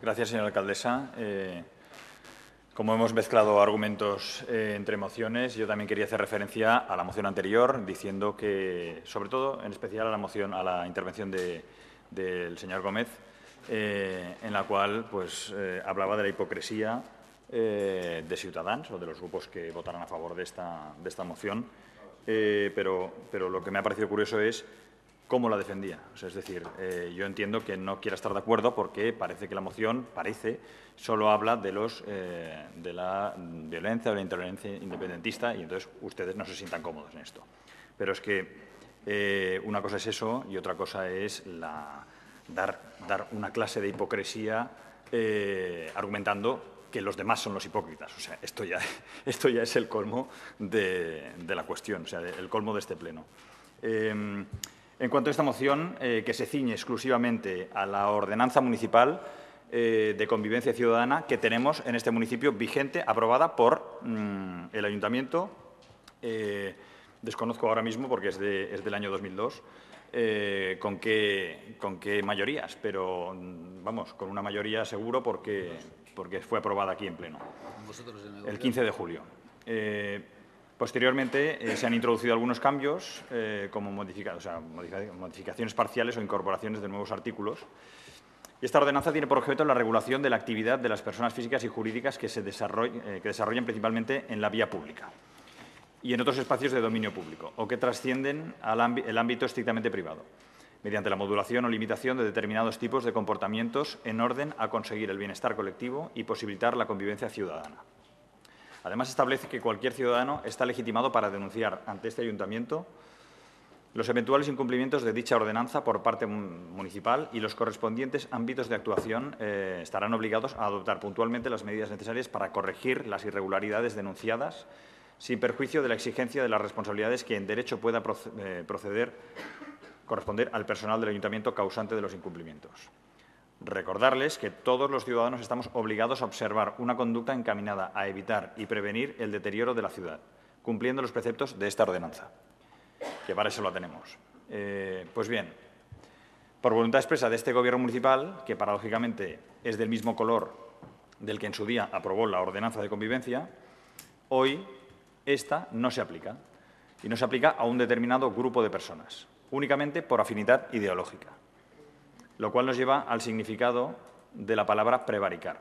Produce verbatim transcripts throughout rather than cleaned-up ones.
Gracias, señora alcaldesa. Eh, como hemos mezclado argumentos eh, entre mociones, yo también quería hacer referencia a la moción anterior, diciendo que, sobre todo, en especial a la moción, a la intervención de, del señor Gómez, eh, en la cual pues, eh, hablaba de la hipocresía eh, de Ciutadans o de los grupos que votaran a favor de esta, de esta moción. Eh, pero, pero lo que me ha parecido curioso es cómo la defendía. O sea, es decir, eh, yo entiendo que no quiera estar de acuerdo porque parece que la moción, parece, solo habla de, los, eh, de la violencia o la intolerancia independentista y entonces ustedes no se sientan cómodos en esto. Pero es que eh, una cosa es eso y otra cosa es la, dar, dar una clase de hipocresía eh, argumentando que los demás son los hipócritas. O sea, esto ya, esto ya es el colmo de, de la cuestión, o sea, el colmo de este pleno. Eh, En cuanto a esta moción, eh, que se ciñe exclusivamente a la ordenanza municipal eh, de convivencia ciudadana que tenemos en este municipio vigente, aprobada por mmm, el Ayuntamiento, eh, desconozco ahora mismo porque es, de, es del año dos mil dos, eh, con, qué, con qué mayorías, pero vamos, con una mayoría seguro porque, porque fue aprobada aquí en pleno, el quince de julio. Eh, Posteriormente, eh, se han introducido algunos cambios, eh, como modifica, o sea, modific modificaciones parciales o incorporaciones de nuevos artículos. Y esta ordenanza tiene por objeto la regulación de la actividad de las personas físicas y jurídicas que se desarrollen, eh, que desarrollan principalmente en la vía pública y en otros espacios de dominio público o que trascienden al ámbi el ámbito estrictamente privado, mediante la modulación o limitación de determinados tipos de comportamientos en orden a conseguir el bienestar colectivo y posibilitar la convivencia ciudadana. Además, establece que cualquier ciudadano está legitimado para denunciar ante este ayuntamiento los eventuales incumplimientos de dicha ordenanza por parte municipal y los correspondientes ámbitos de actuación eh, estarán obligados a adoptar puntualmente las medidas necesarias para corregir las irregularidades denunciadas sin perjuicio de la exigencia de las responsabilidades que en derecho pueda proceder, corresponder al personal del ayuntamiento causante de los incumplimientos. Recordarles que todos los ciudadanos estamos obligados a observar una conducta encaminada a evitar y prevenir el deterioro de la ciudad, cumpliendo los preceptos de esta ordenanza, que para eso la tenemos. Eh, pues bien, por voluntad expresa de este Gobierno municipal, que paradójicamente es del mismo color del que en su día aprobó la ordenanza de convivencia, hoy esta no se aplica, y no se aplica a un determinado grupo de personas, únicamente por afinidad ideológica. Lo cual nos lleva al significado de la palabra prevaricar.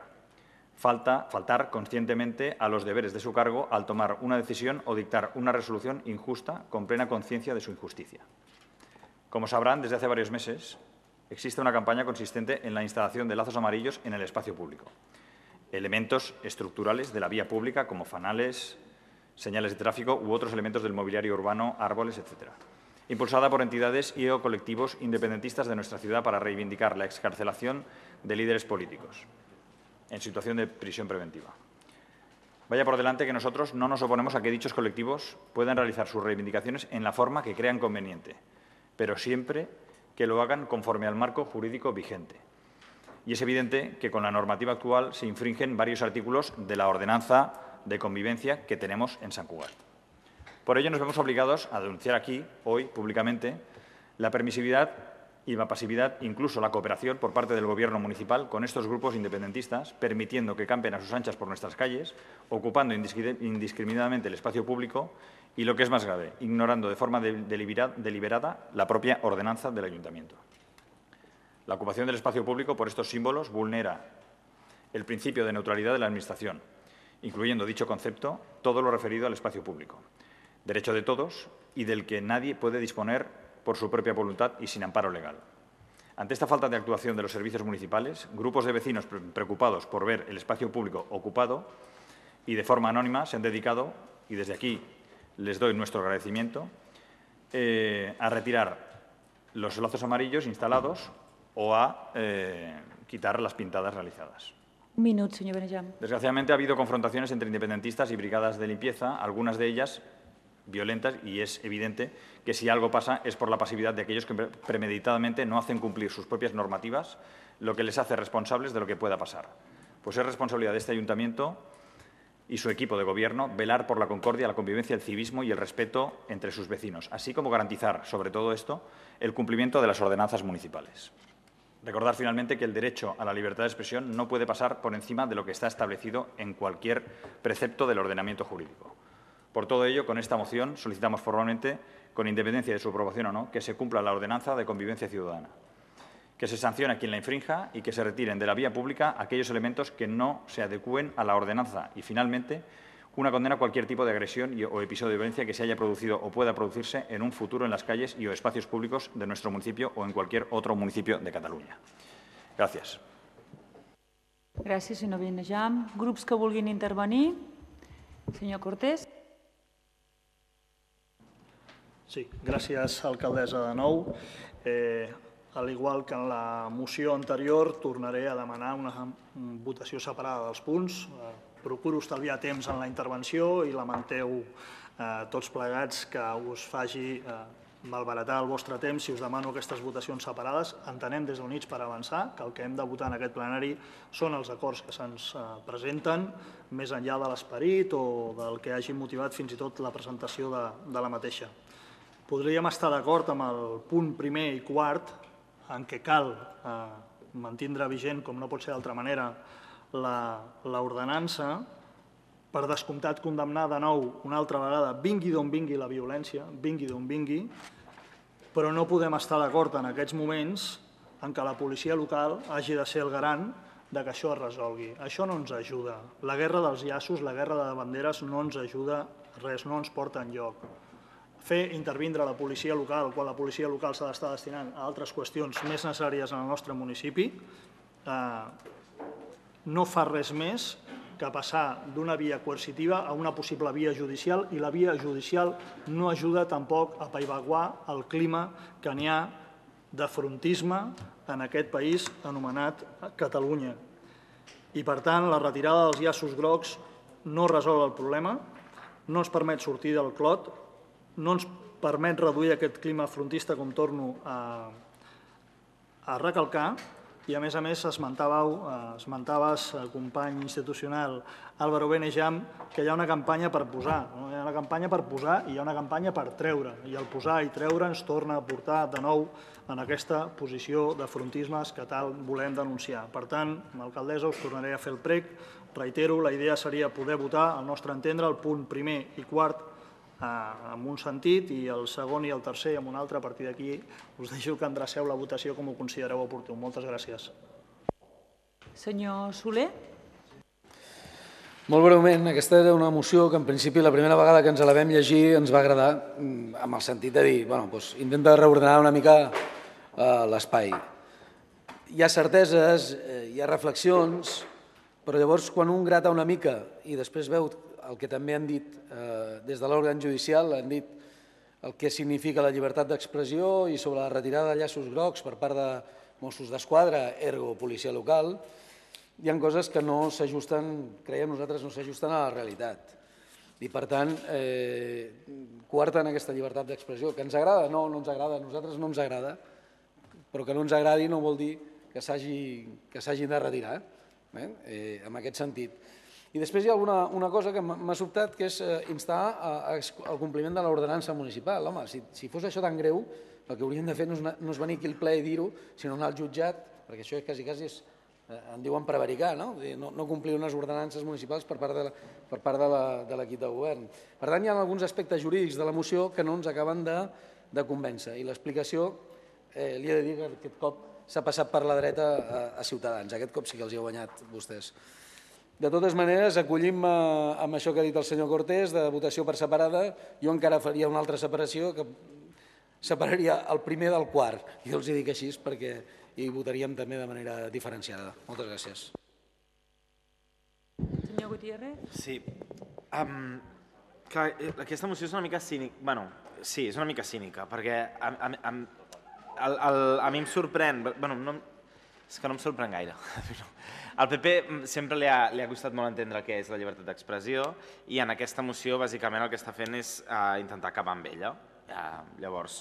Falta, faltar conscientemente a los deberes de su cargo al tomar una decisión o dictar una resolución injusta con plena conciencia de su injusticia. Como sabrán, desde hace varios meses existe una campaña consistente en la instalación de lazos amarillos en el espacio público. Elementos estructurales de la vía pública como fanales, señales de tráfico u otros elementos del mobiliario urbano, árboles, etcétera. Impulsada por entidades y o colectivos independentistas de nuestra ciudad para reivindicar la excarcelación de líderes políticos en situación de prisión preventiva. Vaya por delante que nosotros no nos oponemos a que dichos colectivos puedan realizar sus reivindicaciones en la forma que crean conveniente, pero siempre que lo hagan conforme al marco jurídico vigente. Y es evidente que con la normativa actual se infringen varios artículos de la ordenanza de convivencia que tenemos en Sant Cugat. Por ello, nos vemos obligados a denunciar aquí, hoy, públicamente, la permisividad y la pasividad, incluso la cooperación por parte del Gobierno municipal con estos grupos independentistas, permitiendo que campen a sus anchas por nuestras calles, ocupando indiscriminadamente el espacio público y, lo que es más grave, ignorando de forma deliberada la propia ordenanza del Ayuntamiento. La ocupación del espacio público por estos símbolos vulnera el principio de neutralidad de la Administración, incluyendo dicho concepto todo lo referido al espacio público. Derecho de todos y del que nadie puede disponer por su propia voluntad y sin amparo legal. Ante esta falta de actuación de los servicios municipales, grupos de vecinos preocupados por ver el espacio público ocupado y de forma anónima se han dedicado, y desde aquí les doy nuestro agradecimiento, eh, a retirar los lazos amarillos instalados o a eh, quitar las pintadas realizadas. Un minuto, señor Benejam. Desgraciadamente ha habido confrontaciones entre independentistas y brigadas de limpieza, algunas de ellas violentas, y es evidente que si algo pasa es por la pasividad de aquellos que premeditadamente no hacen cumplir sus propias normativas, lo que les hace responsables de lo que pueda pasar. Pues es responsabilidad de este ayuntamiento y su equipo de gobierno velar por la concordia, la convivencia, el civismo y el respeto entre sus vecinos, así como garantizar, sobre todo esto, el cumplimiento de las ordenanzas municipales. Recordar finalmente que el derecho a la libertad de expresión no puede pasar por encima de lo que está establecido en cualquier precepto del ordenamiento jurídico. Por todo ello, con esta moción solicitamos formalmente, con independencia de su aprobación o no, que se cumpla la ordenanza de convivencia ciudadana, que se sancione a quien la infrinja y que se retiren de la vía pública aquellos elementos que no se adecúen a la ordenanza y, finalmente, una condena a cualquier tipo de agresión y, o episodio de violencia que se haya producido o pueda producirse en un futuro en las calles y o espacios públicos de nuestro municipio o en cualquier otro municipio de Catalunya. Gràcies. Gràcies, senyor Benejam. Grups que vulguin intervenir? Senyor Cortés. Sí, gràcies, alcaldessa, de nou. Eh, al igual que en la moció anterior, tornaré a demanar una votació separada dels punts. Eh, procuro estalviar temps en la intervenció i lamenteu eh, tots plegats que us faci eh, malbaratar el vostre temps si us demano aquestes votacions separades. Entenem des d'Units per Avançar que el que hem de votar en aquest plenari són els acords que se'ns eh, presenten, més enllà de l'esperit o del que hagi motivat fins i tot la presentació de, de la mateixa. Podríem estar d'acord amb el punt primer i quart en què cal eh, mantindre vigent, com no pot ser d'altra manera, l'ordenança, per descomptat condemnar de nou una altra vegada, vingui d'on vingui la violència, vingui d'on vingui, però no podem estar d'acord en aquests moments en què la policia local hagi de ser el garant de que això es resolgui. Això no ens ajuda. La guerra dels llaços, la guerra de banderes no ens ajuda res, no ens porta enlloc. Fer intervindre la policia local quan la policia local s'ha d'estar destinant a altres qüestions més necessàries en el nostre municipi eh, no fa res més que passar d'una via coercitiva a una possible via judicial i la via judicial no ajuda tampoc a apaivaguar el clima que n'hi ha de frontisme en aquest país anomenat Catalunya. I per tant, la retirada dels llaços grocs no resol el problema, no ens permet sortir del clot, no ens permet reduir aquest clima frontista, com torno a, a recalcar, i a més a més esmentaves, company institucional Álvaro Benejam, que hi ha una campanya per posar, no? Hi ha una campanya per posar i hi ha una campanya per treure, i el posar i treure ens torna a portar de nou en aquesta posició de frontismes que tal volem denunciar. Per tant, alcaldessa, us tornaré a fer el prec. Reitero, la idea seria poder votar, al nostre entendre, el punt primer i quart en un sentit i el segon i el tercer en un altre. A partir d'aquí us deixo que endreceu la votació com ho considereu oportú. Moltes gràcies. Senyor Soler. Molt breument, aquesta era una moció que en principi la primera vegada que ens la vam llegir ens va agradar amb el sentit de dir, bueno, doncs intenta reordenar una mica l'espai. Hi ha certeses, hi ha reflexions, però llavors quan un grata una mica i després veu el que també han dit des de l'òrgan judicial, han dit el que significa la llibertat d'expressió i sobre la retirada de llaços grocs per part de Mossos d'Esquadra, ergo policia local, hi ha coses que no s'ajusten, creiem nosaltres, no s'ajusten a la realitat. I per tant, coarten aquesta llibertat d'expressió. Que ens agrada? No, no ens agrada. A nosaltres no ens agrada, però que no ens agradi no vol dir que s'hagin de retirar, en aquest sentit. I després hi ha una cosa que m'ha sobtat, que és instar al compliment de l'ordenança municipal. Home, si fos això tan greu, el que hauríem de fer no és venir aquí al ple i dir-ho, sinó anar al jutjat, perquè això quasi, quasi en diuen prevaricar, no? No complir unes ordenances municipals per part de l'equip de govern. Per tant, hi ha alguns aspectes jurídics de la moció que no ens acaben de convèncer. I l'explicació, li he de dir que aquest cop s'ha passat per la dreta a Ciutadans. Aquest cop sí que els hi ha guanyat vostès. De totes maneres, acollim amb això que ha dit el senyor Cortés, de votació per separada. Jo encara faria una altra separació, que separaria el primer del quart. Jo els hi dic així perquè hi votaríem també de manera diferenciada. Moltes gràcies. Senyor Gutiérrez. Sí. Aquesta moció és una mica cínica. Bé, sí, és una mica cínica, perquè a mi em sorprèn... Bé, és que no em sorprèn gaire. Al P P sempre li ha costat molt entendre què és la llibertat d'expressió i en aquesta moció bàsicament el que està fent és intentar acabar amb ella. Llavors,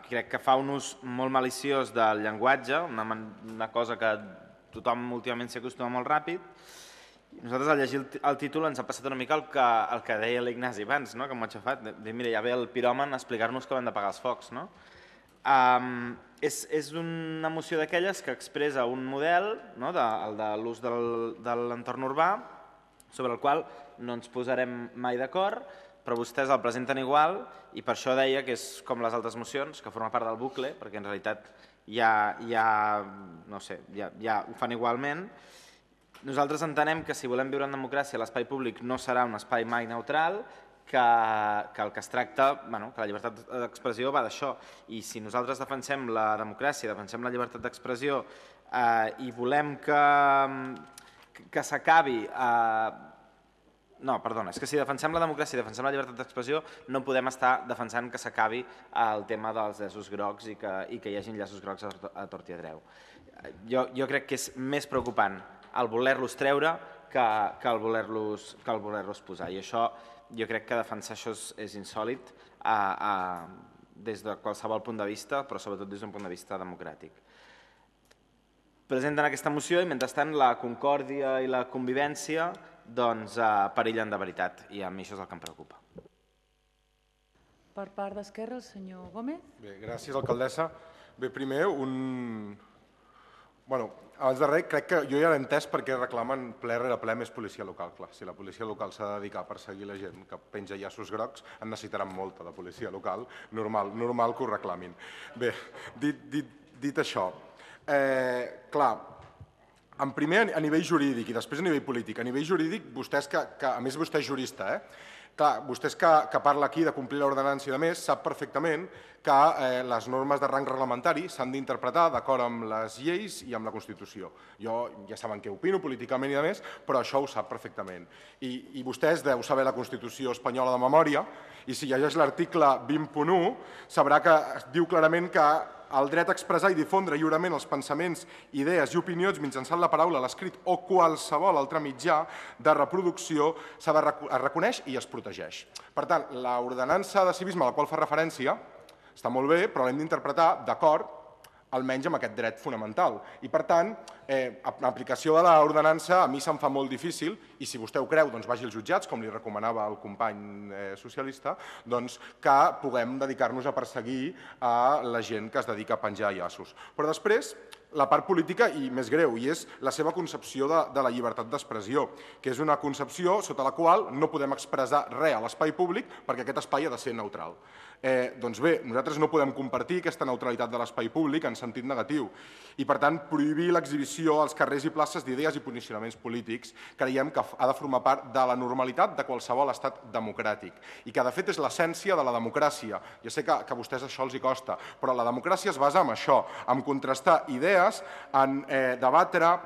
crec que fa un ús molt maliciós del llenguatge, una cosa que tothom últimament s'hi acostuma molt ràpid. Nosaltres al llegir el títol ens ha passat una mica el que deia l'Ignasi abans, que m'ho ha aixafat. Mira, ja ve el piròman a explicar-nos que hem de pagar els focs. és una moció d'aquelles que expressa un model, el de l'ús de l'entorn urbà, sobre el qual no ens posarem mai d'acord, però vostès el presenten igual i per això deia que és com les altres mocions, que forma part del bucle, perquè en realitat ja, no sé, ja ho fan igualment. Nosaltres entenem que si volem viure en democràcia l'espai públic no serà un espai mai neutral, que el que es tracta, que la llibertat d'expressió va d'això. I si nosaltres defensem la democràcia, defensem la llibertat d'expressió i volem que s'acabi... No, perdona, és que si defensem la democràcia i defensem la llibertat d'expressió no podem estar defensant que s'acabi el tema dels llaços grocs i que hi hagi llaços grocs a tort i a dret. Jo crec que és més preocupant el voler-los treure que el voler-los posar. I això, jo crec que defensar això és insòlit des de qualsevol punt de vista, però sobretot des d'un punt de vista democràtic. Presenten aquesta moció i, mentrestant, la concòrdia i la convivència perillen de veritat, i a mi això és el que em preocupa. Per part d'Esquerra, el senyor Gómez. Bé, gràcies, alcaldessa. Bé, primer, un... Bueno, abans de res, crec que jo ja l'he entès perquè reclamen ple rere ple més policia local. Clar, si la policia local s'ha de dedicar a perseguir la gent que penja llaços grocs, en necessitaran molta de policia local, normal, normal que ho reclamin. Bé, dit això, clar, en primer a nivell jurídic i després a nivell polític. A nivell jurídic, vostès que, a més vostè és jurista, eh? Clar, vostès que parla aquí de complir l'ordenança i de més, sap perfectament que les normes de rang reglamentari s'han d'interpretar d'acord amb les lleis i amb la Constitució. Jo ja saben què opino políticament i de més, però això ho sap perfectament. I vostès deu saber la Constitució espanyola de memòria i si llegeix l'article vint punt u sabrà que diu clarament que el dret a expressar i difondre lliurement els pensaments, idees i opinions mitjançant la paraula, l'escrit o qualsevol altre mitjà de reproducció es reconeix i es protegeix. Per tant, l'ordenança de civisme a la qual fa referència està molt bé, però l'hem d'interpretar d'acord almenys amb aquest dret fonamental. I, per tant, l'aplicació de l'ordenança a mi se'm fa molt difícil i si vostè ho creu, doncs vagi als jutjats, com li recomanava el company socialista, doncs que puguem dedicar-nos a perseguir a la gent que es dedica a penjar llaços. Però després, la part política, i més greu, i és la seva concepció de la llibertat d'expressió, que és una concepció sota la qual no podem expressar res a l'espai públic perquè aquest espai ha de ser neutral. Doncs bé, nosaltres no podem compartir aquesta neutralitat de l'espai públic en sentit negatiu i, per tant, prohibir l'exhibició als carrers i places d'idees i posicionaments polítics creiem que ha de formar part de la normalitat de qualsevol estat democràtic i que, de fet, és l'essència de la democràcia. Ja sé que a vostès això els hi costa, però la democràcia es basa en això, en contrastar idees, en debatre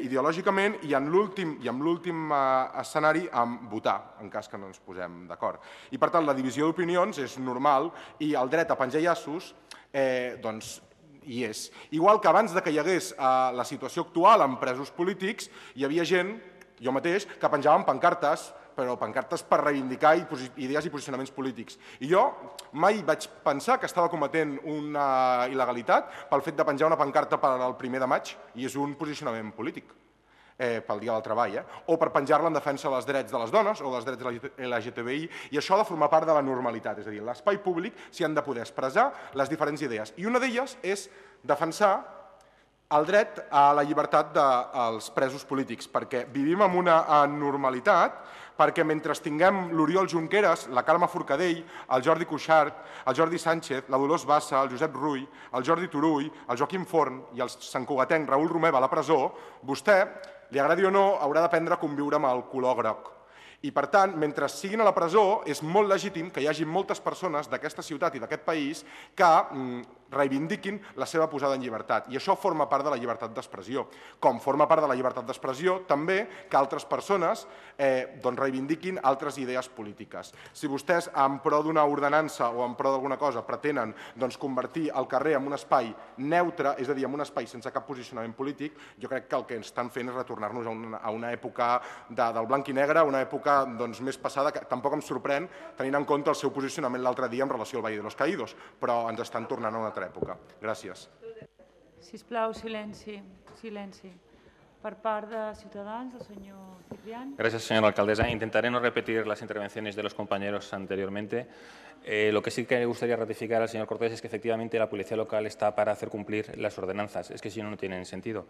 ideològicament i en l'últim escenari en votar, en cas que no ens posem d'acord. I, per tant, la divisió d'opinions és normal i el dret a penjar llaços doncs hi és. Igual que abans que hi hagués la situació actual amb presos polítics, hi havia gent, jo mateix, que penjaven pancartes, però pancartes per reivindicar idees i posicionaments polítics. I jo mai vaig pensar que estava cometent una il·legalitat pel fet de penjar una pancarta per al primer de maig, i és un posicionament polític pel Dia del Treball, o per penjar-la en defensa dels drets de les dones o dels drets L G T B I, i això ha de formar part de la normalitat, és a dir, a l'espai públic s'hi han de poder expressar les diferents idees. I una d'elles és defensar el dret a la llibertat dels presos polítics, perquè vivim en una anormalitat, perquè mentre tinguem l'Oriol Junqueras, la Carme Forcadell, el Jordi Cuixart, el Jordi Sánchez, la Dolors Bassa, el Josep Rull, el Jordi Turull, el Joaquim Forn i el santcugatenc Raül Romeva a la presó, vostè, li agradi o no, haurà d'aprendre a conviure amb el color groc. I, per tant, mentre siguin a la presó, és molt legítim que hi hagi moltes persones d'aquesta ciutat i d'aquest país que reivindiquin la seva posada en llibertat. I això forma part de la llibertat d'expressió. Com forma part de la llibertat d'expressió, també, que altres persones reivindiquin altres idees polítiques. Si vostès, en pro d'una ordenança o en pro d'alguna cosa, pretenen convertir el carrer en un espai neutre, és a dir, en un espai sense cap posicionament polític, jo crec que el que estan fent és retornar-nos a una època del blanc i negre, una època més passada, que tampoc em sorprèn, tenint en compte el seu posicionament l'altre dia en relació al Valle de los Caídos, però ens estan tornant a una altra època. Gràcies. Sisplau, silenci. Silenci. Per part de Ciutadans, el senyor Ciprián. Gracias, señora alcaldesa. Intentaré no repetir las intervenciones de los compañeros anteriormente. Eh, lo que sí que me gustaría ratificar al señor Cortés es que efectivamente la policía local está para hacer cumplir las ordenanzas. Es que si no, no tienen sentido.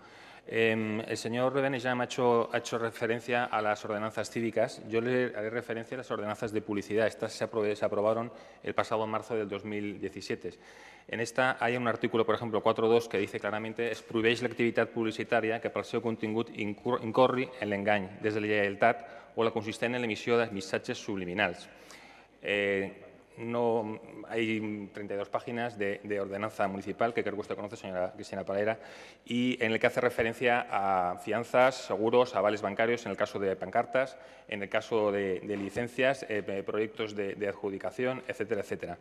Eh, el señor Benejam ha hecho, ha hecho referencia a las ordenanzas cívicas. Yo le haré referencia a las ordenanzas de publicidad. Estas se, aprobé, se aprobaron el pasado marzo del dos mil diecisiete. En esta hay un artículo, por ejemplo, cuatro punto dos, que dice claramente es prohibeix l'activitat publicitària que pel seu contingut incorri en l'engany, deslleialtat o la consistent en l'emissió de missatges subliminals. Eh, No, hay treinta y dos páginas de, de ordenanza municipal que creo que usted conoce, señora Cristina Parera, y en el que hace referencia a fianzas, seguros, avales bancarios en el caso de pancartas, en el caso de, de licencias, eh, proyectos de, de adjudicación, etcétera, etcétera.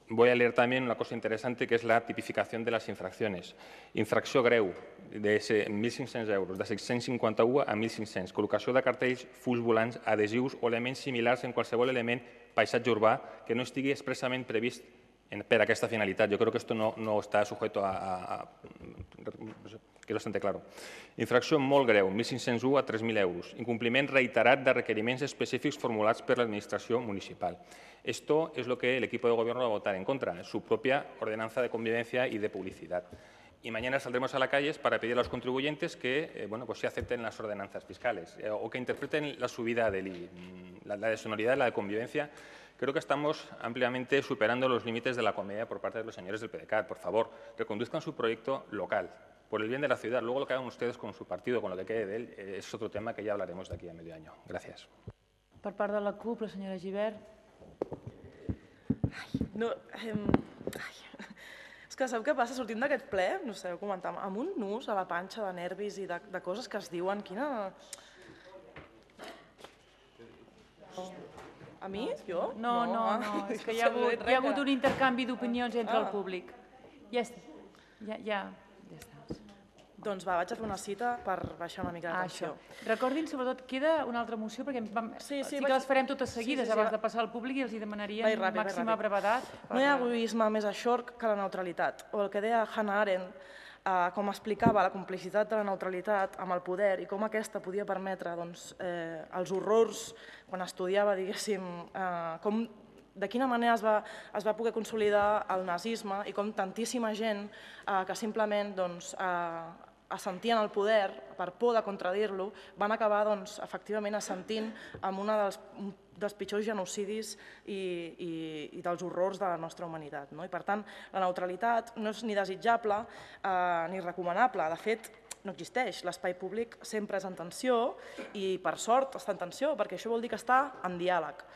Voy a leer también una cosa interesante que es la tipificación de las infracciones. Infracció greu, de mil cinc-cents euros, de set-cents cinquanta-u a mil cinc-cents. Col·locació de cartells, fulls volants, adhesius o elements similars en qualsevol element paisatge urbà que no estigui expressament previst per aquesta finalitat. Jo crec que esto no, no està sujeto a, a, a... que és bastante claro. Infracció molt greu, mil cinc-cents u a tres mil euros. Incompliment reiterat de requeriments específics formulats per l'administració municipal. Esto es lo que el equipo de gobierno va a votar en contra, su propia ordenanza de convivencia y de publicidad. Y mañana saldremos a las calles para pedir a los contribuyentes que eh, bueno, pues sí acepten las ordenanzas fiscales eh, o que interpreten la subida del I B I. La, la de sonoridad, la de convivencia, creo que estamos ampliamente superando los límites de la comedia por parte de los señores del P D C A T. Por favor, reconduzcan su proyecto local, por el bien de la ciudad. Luego lo que hagan ustedes con su partido, con lo que quede de él, eh, es otro tema que ya hablaremos de aquí a medio año. Gracias. Per part de la CUP, la senyora Gibert. Ai, no, eh, ai. És que sabeu què passa? Sortint d'aquest ple, no sé, ho comentàvem, amb un nus a la panxa de nervis i de, de coses que es diuen. Quina... A mi? Jo? No, no, no, és que hi ha hagut, hi ha hagut un intercanvi d'opinions entre el públic. Ja està, ja, ja, ja està. Doncs va, vaig a fer una cita per baixar una mica de tensió. Recordin, sobretot, queda una altra moció, perquè vam, sí, sí, sí que les farem totes seguides sí, sí, sí, abans de passar al públic i els hi demanaríem Vai ràpid, màxima vai brevedat. No hi ha egoisme més eixorc que la neutralitat. O el que deia Hannah Arendt, eh, com explicava la complicitat de la neutralitat amb el poder i com aquesta podia permetre doncs, eh, els horrors quan estudiava, diguéssim, eh, com de quina manera es va, es va poder consolidar el nazisme i com tantíssima gent eh, que simplement doncs, eh, assentien el poder per por de contradir-lo, van acabar doncs, efectivament assentint amb un dels, dels pitjors genocidis i, i, i dels horrors de la nostra humanitat. No? I per tant, la neutralitat no és ni desitjable eh, ni recomanable. De fet, no existeix. L'espai públic sempre és en tensió i, per sort, està en tensió, perquè això vol dir que està en diàleg.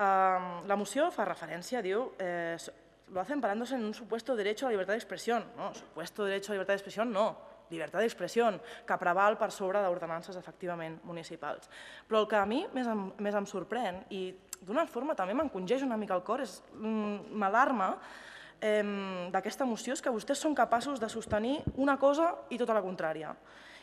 Eh, la moció fa referència, diu... Eh, lo hacen parándose en un supuesto derecho a la libertad de expresión. No, supuesto derecho a la libertad de expresión no. Llibertat d'expressió, que preval per sobre d'ordenances efectivament municipals. Però el que a mi més em, més em sorprèn, i d'una forma també m'encongeix una mica el cor, és m'alarma eh, d'aquesta moció, és que vostès són capaços de sostenir una cosa i tota la contrària,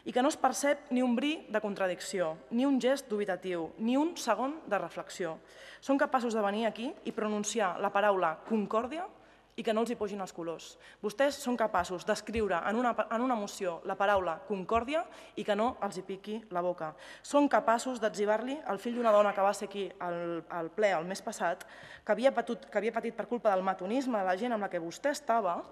i que no es percep ni un bri de contradicció, ni un gest dubitatiu, ni un segon de reflexió. Són capaços de venir aquí i pronunciar la paraula concòrdia i que no els hi pugin els colors. Vostès són capaços d'escriure en una, en una moció la paraula concòrdia i que no els hi piqui la boca. Són capaços d'etzibar-li al fill d'una dona que va ser aquí al, al ple el mes passat, que havia, patut, que havia patit per culpa del matonisme de la gent amb la que vostè estava,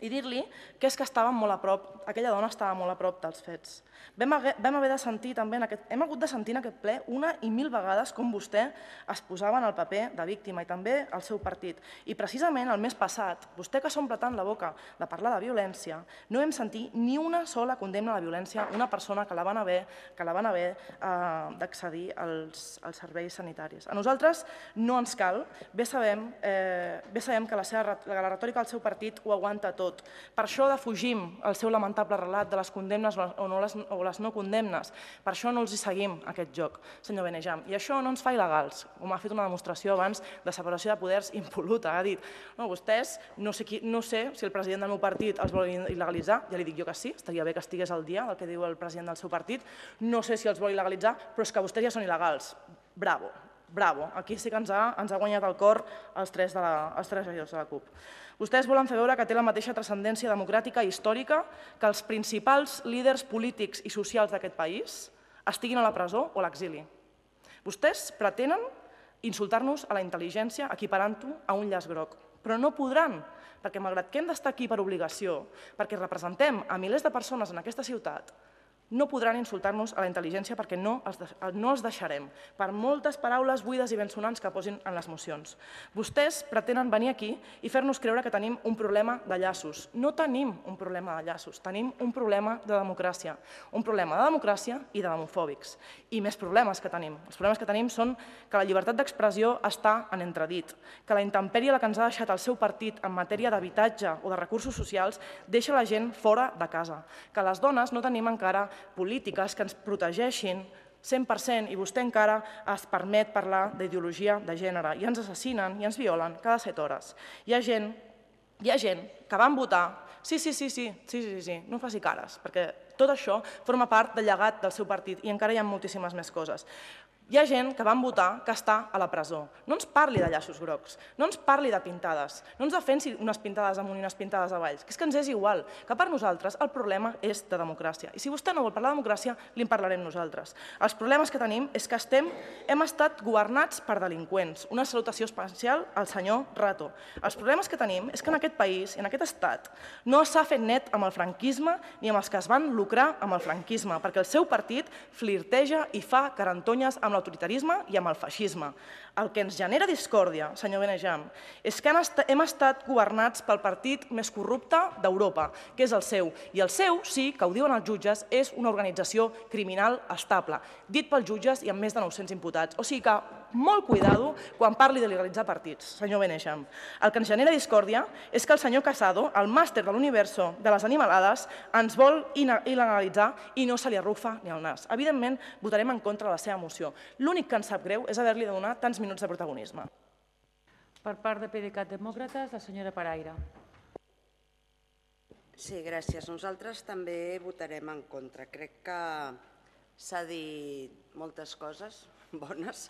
i dir-li que és que estava molt a prop, aquella dona estava molt a prop dels fets. Vam haver, vam haver de sentir també, en aquest, hem hagut de sentir en aquest ple una i mil vegades com vostè es posava en el paper de víctima i també el seu partit. I precisament el mes passat, vostè que s'omple tant la boca de parlar de violència, no vam sentir ni una sola condemna a la violència una persona que la van haver, que la van haver eh, d'accedir als, als serveis sanitaris. A nosaltres no ens cal, bé sabem, eh, bé sabem que la, seva, la retòrica del seu partit ho aguanta tot. Per això defugim el seu lamentable relat de les condemnes o, no les, o les no condemnes. Per això no els hi seguim aquest joc, senyor Benejam. I això no ens fa il·legals, com ha fet una demostració abans de separació de poders impol·luta. Ha dit, no, vostès, no sé, qui, no sé si el president del meu partit els vol il·legalitzar, ja li dic jo que sí, estaria bé que estigués al dia del que diu el president del seu partit, no sé si els vol il·legalitzar, però és que vostès ja són il·legals. Bravo. bravo, aquí sí que ens ha, ens ha guanyat el cor els tres, de la, els tres regidors de la CUP. Vostès volen fer veure que té la mateixa transcendència democràtica i històrica que els principals líders polítics i socials d'aquest país estiguin a la presó o a l'exili. Vostès pretenen insultar-nos a la intel·ligència equiparant-ho a un llaç groc, però no podran, perquè malgrat que hem d'estar aquí per obligació, perquè representem a milers de persones en aquesta ciutat, no podran insultar-nos a la intel·ligència perquè no els deixarem, per moltes paraules buides i bensonants que posin en les mocions. Vostès pretenen venir aquí i fer-nos creure que tenim un problema de llaços. No tenim un problema de llaços, tenim un problema de democràcia. Un problema de democràcia i de demofòbics. I més problemes que tenim. Els problemes que tenim són que la llibertat d'expressió està en entredit, que la intempèrie que ens ha deixat el seu partit en matèria d'habitatge o de recursos socials deixa la gent fora de casa, que les dones no tenim encara polítiques que ens protegeixin cent per cent i vostè encara es permet parlar d'ideologia de gènere i ens assassinen i ens violen cada set hores. Hi ha gent, hi ha gent que van votar, sí, sí, sí, sí, sí, sí, sí, no faci cares, perquè tot això forma part del llegat del seu partit i encara hi ha moltíssimes més coses. Hi ha gent que van votar que està a la presó. No ens parli de llaços grocs, no ens parli de pintades, no ens defensi unes pintades amunt i unes pintades avall, que és que ens és igual, que per nosaltres el problema és de democràcia. I si vostè no vol parlar de democràcia, li en parlarem nosaltres. Els problemes que tenim és que estem, hem estat governats per delinqüents. Una salutació especial al senyor Rato. Els problemes que tenim és que en aquest país, en aquest estat, no s'ha fet net amb el franquisme ni amb els que es van lucrar amb el franquisme, perquè el seu partit flirteja i fa carantonyes amb l'autoritarisme i amb el feixisme. El que ens genera discòrdia, senyor Benejam, és que hem estat governats pel partit més corrupte d'Europa, que és el seu. I el seu, sí, que ho diuen els jutges, és una organització criminal estable, dit pels jutges i amb més de nou-cents imputats. O sigui que molt cuidado quan parli de legalitzar partits, senyor Benejam. El que ens genera discòrdia és que el senyor Casado, el màster de l'universo de les animalades, ens vol il·legalitzar i no se li arrufa ni el nas. Evidentment, votarem en contra de la seva moció. L'únic que ens sap greu és haver-li de donar tants minuts de protagonisme. Per part de PDeCAT Demòcrates, la senyora Paraire. Sí, gràcies. Nosaltres també votarem en contra. Crec que s'ha dit moltes coses bones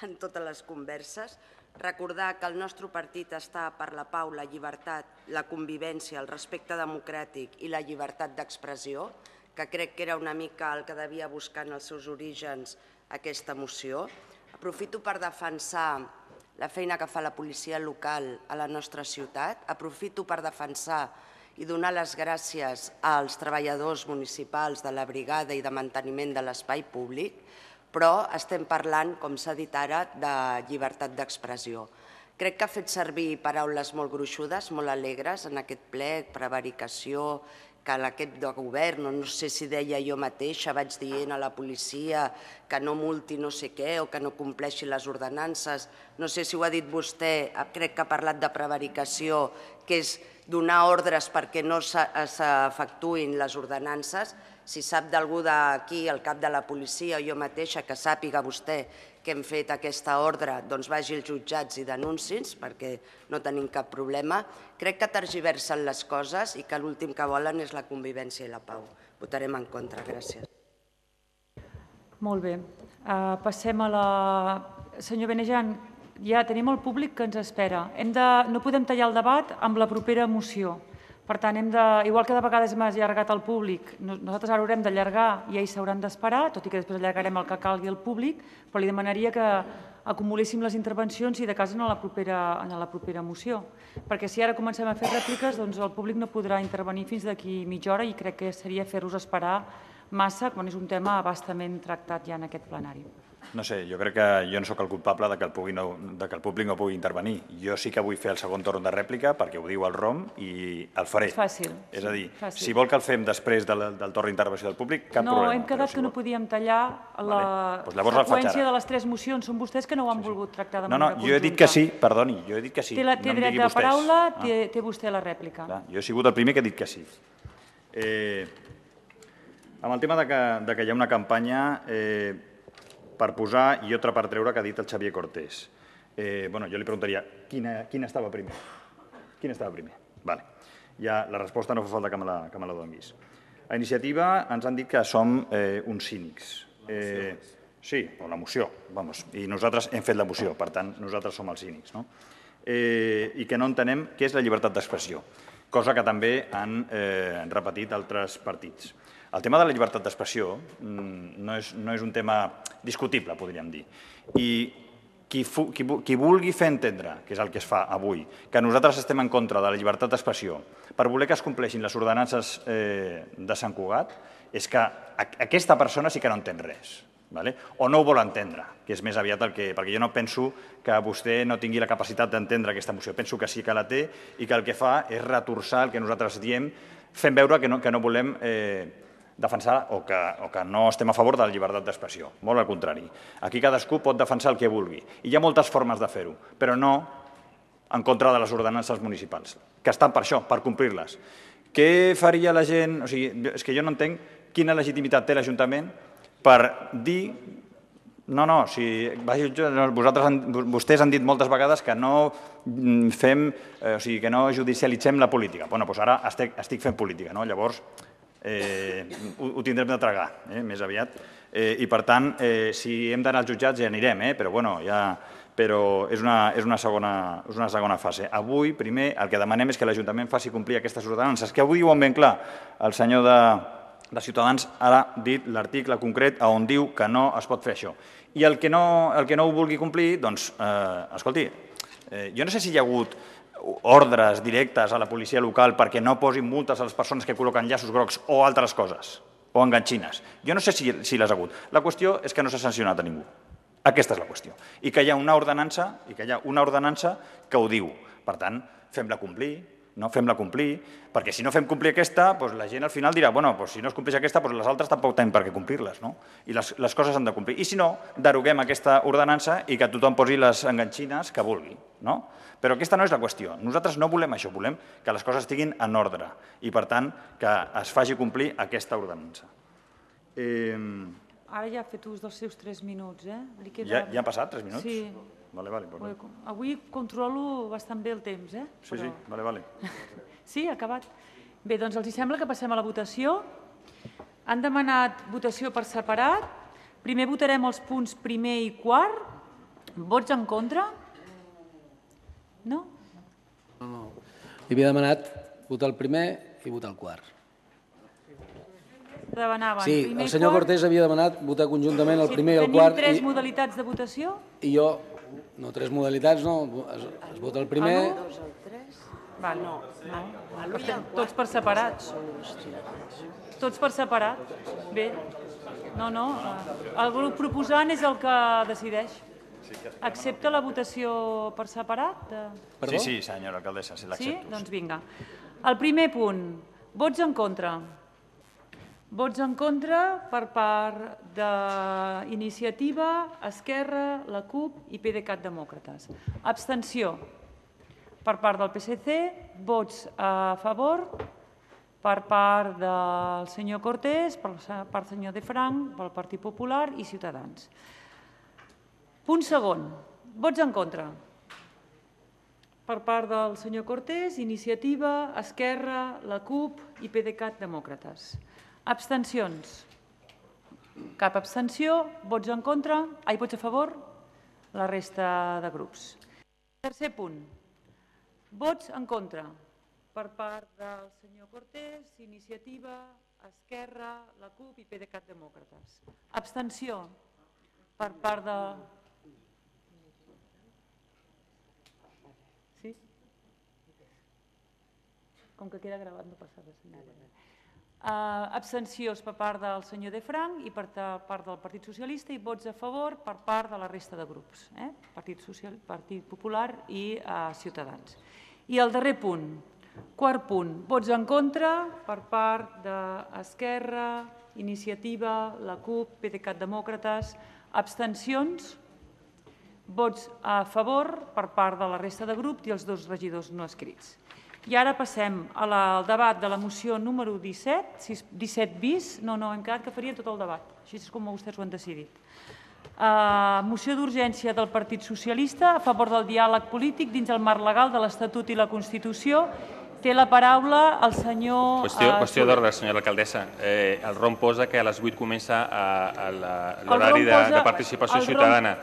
en totes les converses. Recordar que el nostre partit està per la pau, la llibertat, la convivència, el respecte democràtic i la llibertat d'expressió, que crec que era una mica el que devia buscar en els seus orígens aquesta moció. Aprofito per defensar la feina que fa la policia local a la nostra ciutat. Aprofito per defensar i donar les gràcies als treballadors municipals de la brigada i de manteniment de l'espai públic, però estem parlant, com s'ha dit ara, de llibertat d'expressió. Crec que ha fet servir paraules molt gruixudes, molt alegres en aquest ple, prevaricació, que l'equip de govern, no sé si deia jo mateixa, vaig dient a la policia que no multi no sé què o que no compleixi les ordenances. No sé si ho ha dit vostè, crec que ha parlat de prevaricació, que és donar ordres perquè no s'efectuïn les ordenances. Si sap d'algú d'aquí, el cap de la policia o jo mateixa, que sàpiga vostè que hem fet aquesta ordre, doncs vagi als jutjats i denunciïns, perquè no tenim cap problema. Crec que tergiversen les coses i que l'últim que volen és la convivència i la pau. Votarem en contra. Gràcies. Molt bé. Passem a la... Senyor Benejam, ja tenim el públic que ens espera. No podem tallar el debat amb la propera moció. Per tant, igual que de vegades hem allargat el públic, nosaltres ara haurem d'allargar i ells s'hauran d'esperar, tot i que després allargarem el que calgui al públic, però li demanaria que acumuléssim les intervencions i de cas en la propera moció. Perquè si ara comencem a fer rèpliques, doncs el públic no podrà intervenir fins d'aquí mitja hora i crec que seria fer-los esperar massa quan és un tema abastament tractat ja en aquest plenari. No sé, jo crec que jo no sóc el culpable que el públic no pugui intervenir. Jo sí que vull fer el segon torn de rèplica perquè ho diu el R O M i el faré. És fàcil. És a dir, si vol que el fem després del torn d'intervenció del públic, cap problema. No, hem quedat que no podíem tallar la seqüència de les tres mocions. Són vostès que no ho han volgut tractar de manera conjunta. No, no, jo he dit que sí, perdoni, jo he dit que sí. Té dret de paraula, té vostè la rèplica. Jo he sigut el primer que he dit que sí. Amb el tema que hi ha una campanya per posar i altra per treure que ha dit el Xavier Cortés. Jo li preguntaria, quin estava primer? Quin estava primer? Ja la resposta no fa falta que me la donguis. A Iniciativa ens han dit que som uns cínics. Sí, o la moció, vamos, i nosaltres hem fet la moció, per tant, nosaltres som els cínics, no? Eh, I que no entenem què és la llibertat d'expressió, cosa que també han eh, repetit altres partits. El tema de la llibertat d'expressió no és, no és un tema discutible, podríem dir. I qui, fu, qui, qui vulgui fer entendre, que és el que es fa avui, que nosaltres estem en contra de la llibertat d'expressió per voler que es compleixin les ordenances eh, de Sant Cugat, és que aquesta persona sí que no entén res. Vale? O no ho vol entendre, que és més aviat el que... Perquè jo no penso que vostè no tingui la capacitat d'entendre aquesta moció. Penso que sí que la té i que el que fa és retorçar el que nosaltres diem, fent veure que no, que no volem eh, defensar o que, o que no estem a favor de la llibertat d'expressió. Molt al contrari. Aquí cadascú pot defensar el que vulgui. I hi ha moltes formes de fer-ho, però no en contra de les ordenances municipals, que estan per això, per complir-les. Què faria la gent? O sigui, és que jo no entenc quina legitimitat té l'Ajuntament per dir, no, no, si vosaltres, vostès han dit moltes vegades que no fem, o sigui, que no judicialitzem la política. Bueno, doncs ara estic, estic fent política, no? Llavors eh, ho, ho tindrem de tragar, eh, més aviat. Eh, I per tant, eh, si hem d'anar als jutjats ja anirem, eh, però bueno, ja... però és una, és, una segona, és una segona fase. Avui, primer, el que demanem és que l'Ajuntament faci complir aquestes ordenances, que avui diuen ben clar el senyor de... de Ciutadans ha dit l'article concret on diu que no es pot fer això. I el que no, el que no ho vulgui complir, doncs, eh, escolti, eh, jo no sé si hi ha hagut ordres directes a la policia local perquè no posin multes a les persones que col·loquen llaços grocs o altres coses, o enganxines. Jo no sé si, si les ha hagut. La qüestió és que no s'ha sancionat a ningú. Aquesta és la qüestió. I que hi ha una ordenança, i que hi ha una ordenança que ho diu. Per tant, fem-la complir, no fem-la complir, perquè si no fem complir aquesta, doncs la gent al final dirà, bueno, doncs si no es compleix aquesta, doncs les altres tampoc tenen per què complir-les, no? I les, les coses han de complir. I si no, deroguem aquesta ordenança i que tothom posi les enganxines que vulgui, no? Però aquesta no és la qüestió. Nosaltres no volem això, volem que les coses estiguin en ordre i, per tant, que es faci complir aquesta ordenança. Eh... Ara ja ha fet ús dels seus tres minuts, eh? Queda... Ja, ja han passat tres minuts? Sí. Vale, vale, pues Avui, avui controlo bastant bé el temps, eh? Sí, sí, vale, vale. Sí, ha acabat. Bé, doncs els sembla que passem a la votació. Han demanat votació per separat. Primer votarem els punts primer i quart. Vots en contra? No? No, no. Hi havia demanat votar el primer i votar el quart. Demanaven sí, primer el senyor quart. Cortés havia demanat votar conjuntament el Sí, primer i el quart. Tenim tres i, modalitats de votació? I jo, no, tres modalitats, no, es, es vota el primer... El dos, el tres? Val, no. no. Tots per separat. Tots per separat. Bé. No, no. El grup proposant és el que decideix. Accepta la votació per separat? Sí, sí, senyora alcaldessa, si l'accepto. Sí? Doncs vinga. El primer punt. Vots en contra. Vots en contra per part d'Iniciativa, Esquerra, la CUP i PDeCAT Demòcrates. Abstenció per part del P S C, vots a favor per part del senyor Cortés, per part del senyor De Frank, pel Partit Popular i Ciutadans. Punt segon. Vots en contra. Per part del senyor Cortés, Iniciativa, Esquerra, la CUP i PDeCAT Demòcrates. Abstencions. Cap abstenció. Vots en contra. Ai, vots a favor? La resta de grups. Tercer punt. Vots en contra. Per part del senyor Cortés, Iniciativa, Esquerra, la CUP i PDeCAT Demòcrates. Abstenció. Per part de... Sí? Com que queda gravat no passa res. Uh, abstencions per part del senyor De Frank i per part del Partit Socialista i vots a favor per part de la resta de grups, eh? Partit, Social, Partit Popular i uh, Ciutadans. I el darrer punt, quart punt, vots en contra per part d'Esquerra, Iniciativa, la CUP, PDeCAT Demòcrates, abstencions, vots a favor per part de la resta de grups i els dos regidors no escrits. I ara passem al debat de la moció número disset, disset bis, no, no, hem quedat que faria tot el debat, així és com vostès ho han decidit. Uh, moció d'urgència del Partit Socialista a favor del diàleg polític dins el marc legal de l'Estatut i la Constitució Té la paraula el senyor... Qüestió d'ordre, senyora alcaldessa. El ROM posa que a les vuit comença l'horari de participació ciutadana.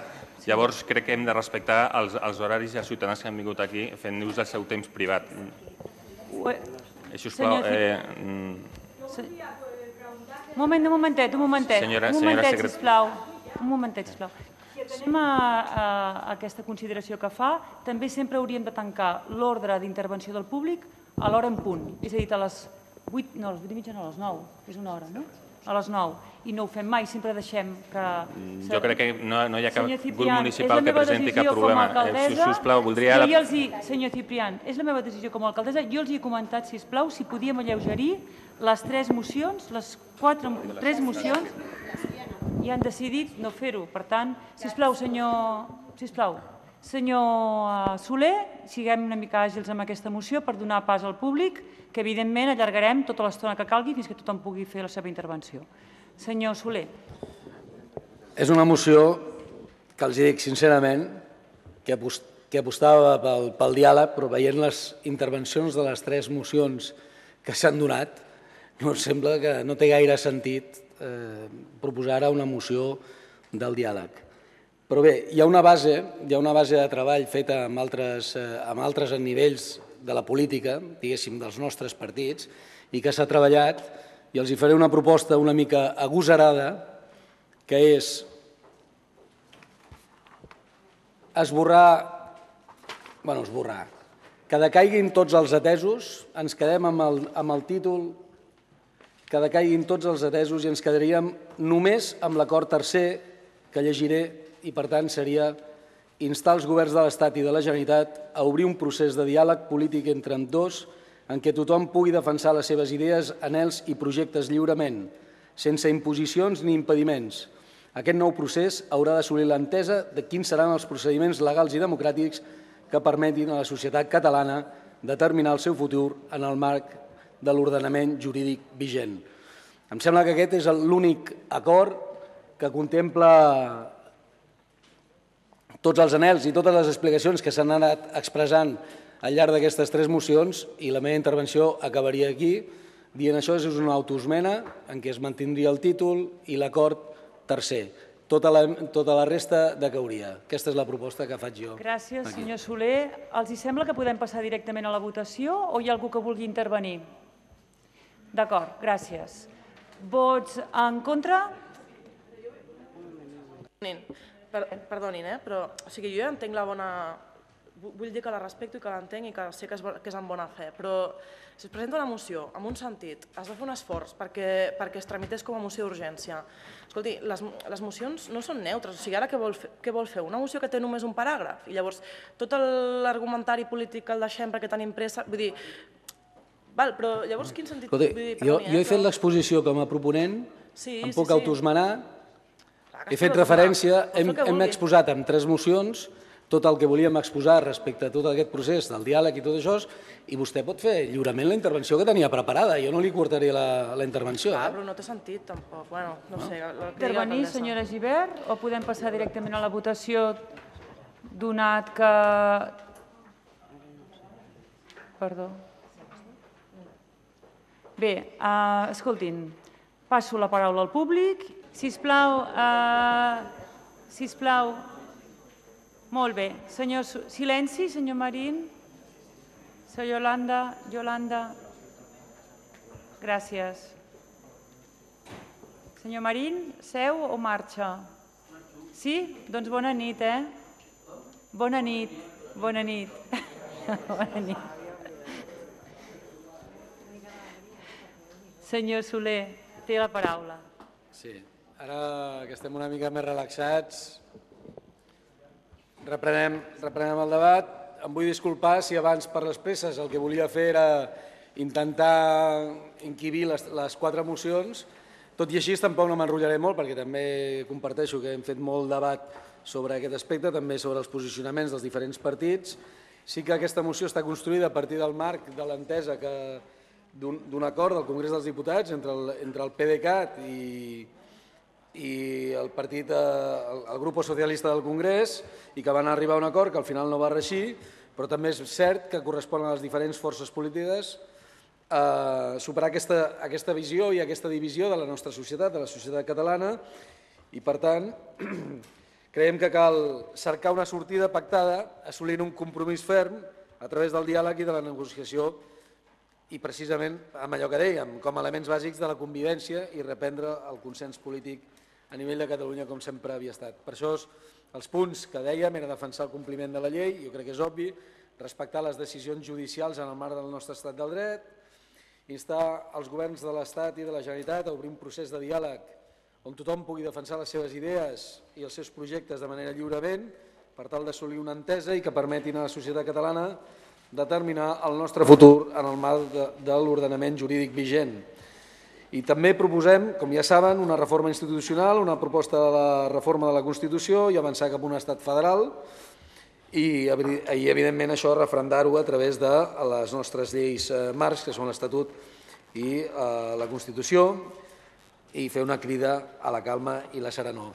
Llavors crec que hem de respectar els horaris i els ciutadans que han vingut aquí fent ús del seu temps privat. Sisplau... Un moment, un momentet, un momentet. Un momentet, sisplau. Un momentet, sisplau. Anem a aquesta consideració que fa. També sempre hauríem de tancar l'ordre d'intervenció del públic a l'hora en punt. És a dir, a les vuit, no, a les vuit i mitja no, a les nou. És una hora, no? A les nou. I no ho fem mai, sempre deixem que... Jo crec que no hi ha cap grup municipal que presenti cap problema. Sisplau, voldria... Senyor Ciprián, és la meva decisió com a alcaldessa. Jo els he comentat, sisplau, si podíem alleugerir les tres mocions, les quatre, tres mocions, i han decidit no fer-ho. Per tant, sisplau, senyor... Sisplau, senyor Soler, siguem una mica àgils amb aquesta moció per donar pas al públic, que evidentment allargarem tota l'estona que calgui fins que tothom pugui fer la seva intervenció. Senyor Soler. És una moció que els dic sincerament que apostava pel diàleg, però veient les intervencions de les tres mocions que s'han donat, no sembla que no té gaire sentit proposar ara una moció del diàleg. Però bé, hi ha una base, hi ha una base de treball feta amb altres nivells de la política, diguéssim, dels nostres partits, i que s'ha treballat, i els hi faré una proposta una mica agosarada, que és esborrar, bueno, esborrar, que decaiguin tots els atesos, ens quedem amb el títol que decaiguin tots els atesos i ens quedaríem només amb l'acord tercer que llegiré i, per tant, seria instar els governs de l'Estat i de la Generalitat a obrir un procés de diàleg polític entre ambdós en què tothom pugui defensar les seves idees, anhels i projectes lliurement, sense imposicions ni impediments. Aquest nou procés haurà d'assolir l'entesa de quins seran els procediments legals i democràtics que permetin a la societat catalana determinar el seu futur en el marc de l'ordenament jurídic vigent. Em sembla que aquest és l'únic acord que contempla tots els anhels i totes les explicacions que s'han anat expressant al llarg d'aquestes tres mocions, i la meva intervenció acabaria aquí dient això és una autoesmena en què es mantindria el títol i l'acord tercer. Tota la resta decauria. Aquesta és la proposta que faig jo. Gràcies, senyor Soler. Els sembla que podem passar directament a la votació o hi ha algú que vulgui intervenir? D'acord, gràcies. Vots en contra? Perdonin, però jo ja entenc la bona... Vull dir que la respecto i que l'entenc i que sé que és en bona fe, però si es presenta una moció amb un sentit, has de fer un esforç perquè es tramités com a moció d'urgència. Escolti, les mocions no són neutres, o sigui, ara què vol fer? Una moció que té només un paràgraf i llavors tot l'argumentari polític el deixem perquè tenim pressa, vull dir... Val, però llavors quin sentit... Jo he fet l'exposició com a proponent, em puc autoesmenar, he fet referència, hem exposat en tres mocions tot el que volíem exposar respecte a tot aquest procés del diàleg i tot això, i vostè pot fer lliurement la intervenció que tenia preparada. Jo no li cortaré la intervenció. Ah, però no té sentit, tampoc. Bueno, no sé... Intervenir, senyora Gibert, o podem passar directament a la votació donat que... Perdó. Bé, escoltin, passo la paraula al públic. Sisplau, sisplau... Molt bé. Silenci, senyor Marín. Senyor Yolanda. Yolanda. Gràcies. Senyor Marín, seu o marxa? Sí? Doncs bona nit, eh? Bona nit. Bona nit. Bona nit. Senyor Soler, té la paraula. Sí. Ara que estem una mica més relaxats... Reprenem el debat. Em vull disculpar si abans per les presses el que volia fer era intentar inquibir les quatre mocions. Tot i així tampoc no m'enrotllaré molt perquè també comparteixo que hem fet molt debat sobre aquest aspecte, també sobre els posicionaments dels diferents partits. Sí que aquesta moció està construïda a partir del marc de l'entesa d'un acord del Congrés dels Diputats entre el PDeCAT i i el partit, el grup socialista del Congrés, i que van arribar a un acord que al final no va reeixir, Però també és cert que correspon a les diferents forces polítiques superar aquesta visió i aquesta divisió de la nostra societat, de la societat catalana, i per tant creiem que cal cercar una sortida pactada assolint un compromís ferm a través del diàleg i de la negociació i precisament amb allò que dèiem, com a elements bàsics de la convivència i reprendre el consens polític a nivell de Catalunya com sempre havia estat. Per això els punts que dèiem era defensar el compliment de la llei, jo crec que és obvi, respectar les decisions judicials en el marc del nostre estat del dret, instar els governs de l'Estat i de la Generalitat a obrir un procés de diàleg on tothom pugui defensar les seves idees i els seus projectes de manera lliurement per tal d'assolir una entesa i que permetin a la societat catalana determinar el nostre futur en el marc de l'ordenament jurídic vigent. I també proposem, com ja saben, una reforma institucional, una proposta de la reforma de la Constitució i avançar cap a un estat federal i, evidentment, això referendar-ho a través de les nostres lleis marcs, que són l'Estatut i la Constitució, i fer una crida a la calma i la serenor.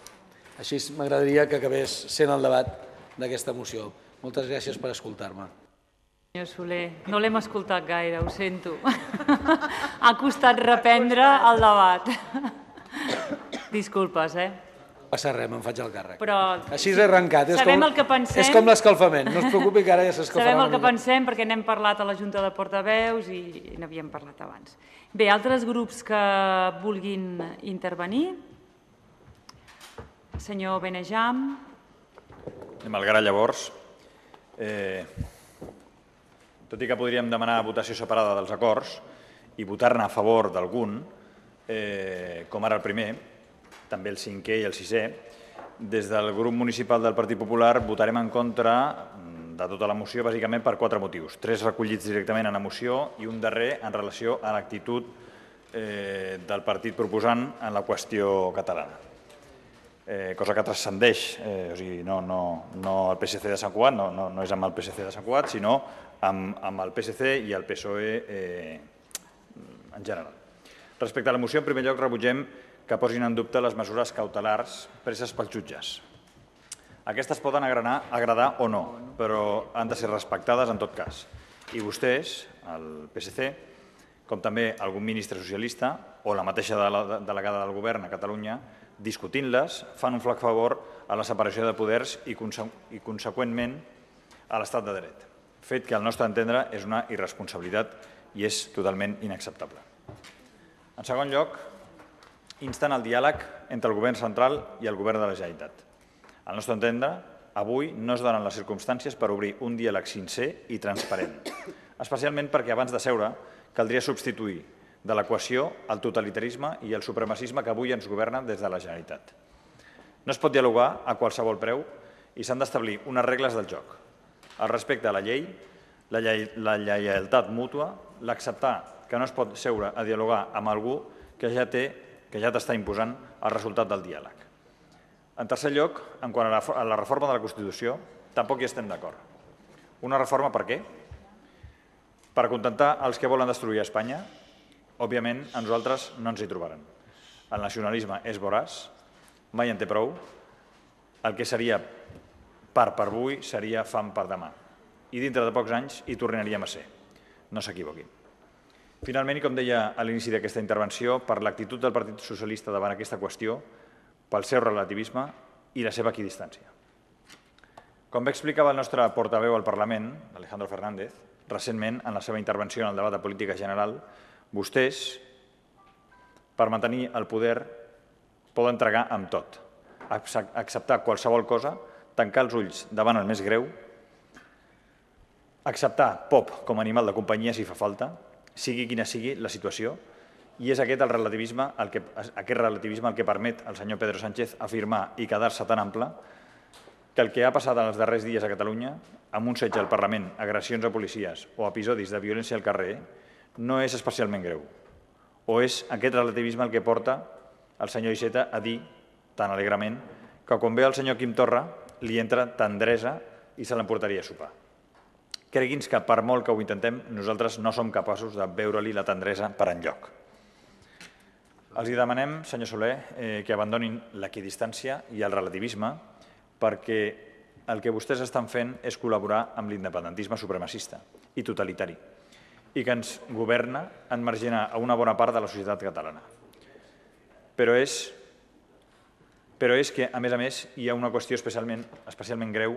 Així m'agradaria que acabés sent el debat d'aquesta moció. Moltes gràcies per escoltar-me. Senyor Soler, no l'hem escoltat gaire, ho sento. Ha costat reprendre el debat. Disculpes, eh? No passa res, me'n faig el càrrec. Però Així és arrencat. sabem el que pensem. És com l'escalfament. No es preocupi que ara ja s'escalfarà Sabem una el que mica. pensem perquè n'hem parlat a la Junta de Portaveus i n'havíem parlat abans. Bé, altres grups que vulguin intervenir? Senyor Benejam. Malgrat llavors, eh, tot i que podríem demanar votació separada dels acords i votar-ne a favor d'algun, eh, com ara el primer, també el cinquè i el sisè, des del grup municipal del Partit Popular votarem en contra de tota la moció bàsicament per quatre motius. Tres recollits directament en la moció i un darrer en relació a l'actitud eh, del partit proposant en la qüestió catalana. Eh, cosa que transcendeix, eh, o sigui, no, no, no el P S C de Sant Cugat, no, no, no és amb el P S C de Sant Cugat, sinó amb, amb el P S C i el P S O E eh, en general. Respecte a la moció, en primer lloc, rebutgem que posin en dubte les mesures cautelars preses pels jutges. Aquestes poden agradar, agradar o no, però han de ser respectades en tot cas. I vostès, el P S C, com també algun ministre socialista o la mateixa delegada del govern a Catalunya, discutint-les, fan un flac favor a la separació de poders i, i conseqüentment, a l'estat de dret. Fet que, al nostre entendre, és una irresponsabilitat i és totalment inacceptable. En segon lloc, insten el diàleg entre el govern central i el govern de la Generalitat. Al nostre entendre, avui no es donen les circumstàncies per obrir un diàleg sincer i transparent, especialment perquè abans de seure caldria substituir de l'equació el totalitarisme i el supremacisme que avui ens governen des de la Generalitat. No es pot dialogar a qualsevol preu i s'han d'establir unes regles del joc. El respecte a la llei, la, lle la lleialtat mútua, l'acceptar que no es pot seure a dialogar amb algú que ja té que ja t'està imposant el resultat del diàleg. En tercer lloc, en quant a la, a la reforma de la Constitució, tampoc hi estem d'acord. Una reforma per què? Per acontentar els que volen destruir Espanya? Òbviament, a nosaltres no ens hi trobaran. El nacionalisme és voraç, mai en té prou. El que seria par per avui seria fam per demà. I dintre de pocs anys hi tornaríem a ser. No s'equivoquin. Finalment, i com deia a l'inici d'aquesta intervenció, per l'actitud del Partit Socialista davant aquesta qüestió, pel seu relativisme i la seva equidistància. Com bé explicava el nostre portaveu al Parlament, Alejandro Fernández, recentment, en la seva intervenció en el debat de política general, vostès, per mantenir el poder, poden tragar amb tot, acceptar qualsevol cosa, tancar els ulls davant el més greu, acceptar pop com a animal de companyia si fa falta, sigui quina sigui la situació, i és aquest el relativisme el que, aquest relativisme el que permet al senyor Pedro Sánchez afirmar i quedar-se tan ample que el que ha passat en els darrers dies a Catalunya, amb un setge al Parlament, agressions a policies o episodis de violència al carrer, no és especialment greu. O és aquest relativisme el que porta el senyor Iceta a dir, tan alegrement, que quan ve el senyor Quim Torra li entra tendresa i se l'emportaria a sopar. Cregui'ns que per molt que ho intentem, nosaltres no som capaços de veure-li la tendresa per enlloc. Els demanem, senyor Soler, eh, que abandonin l'equidistància i el relativisme perquè el que vostès estan fent és col·laborar amb l'independentisme supremacista i totalitari i que ens governa en marginar a una bona part de la societat catalana. Però és, però és que, a més a més, hi ha una qüestió especialment, especialment greu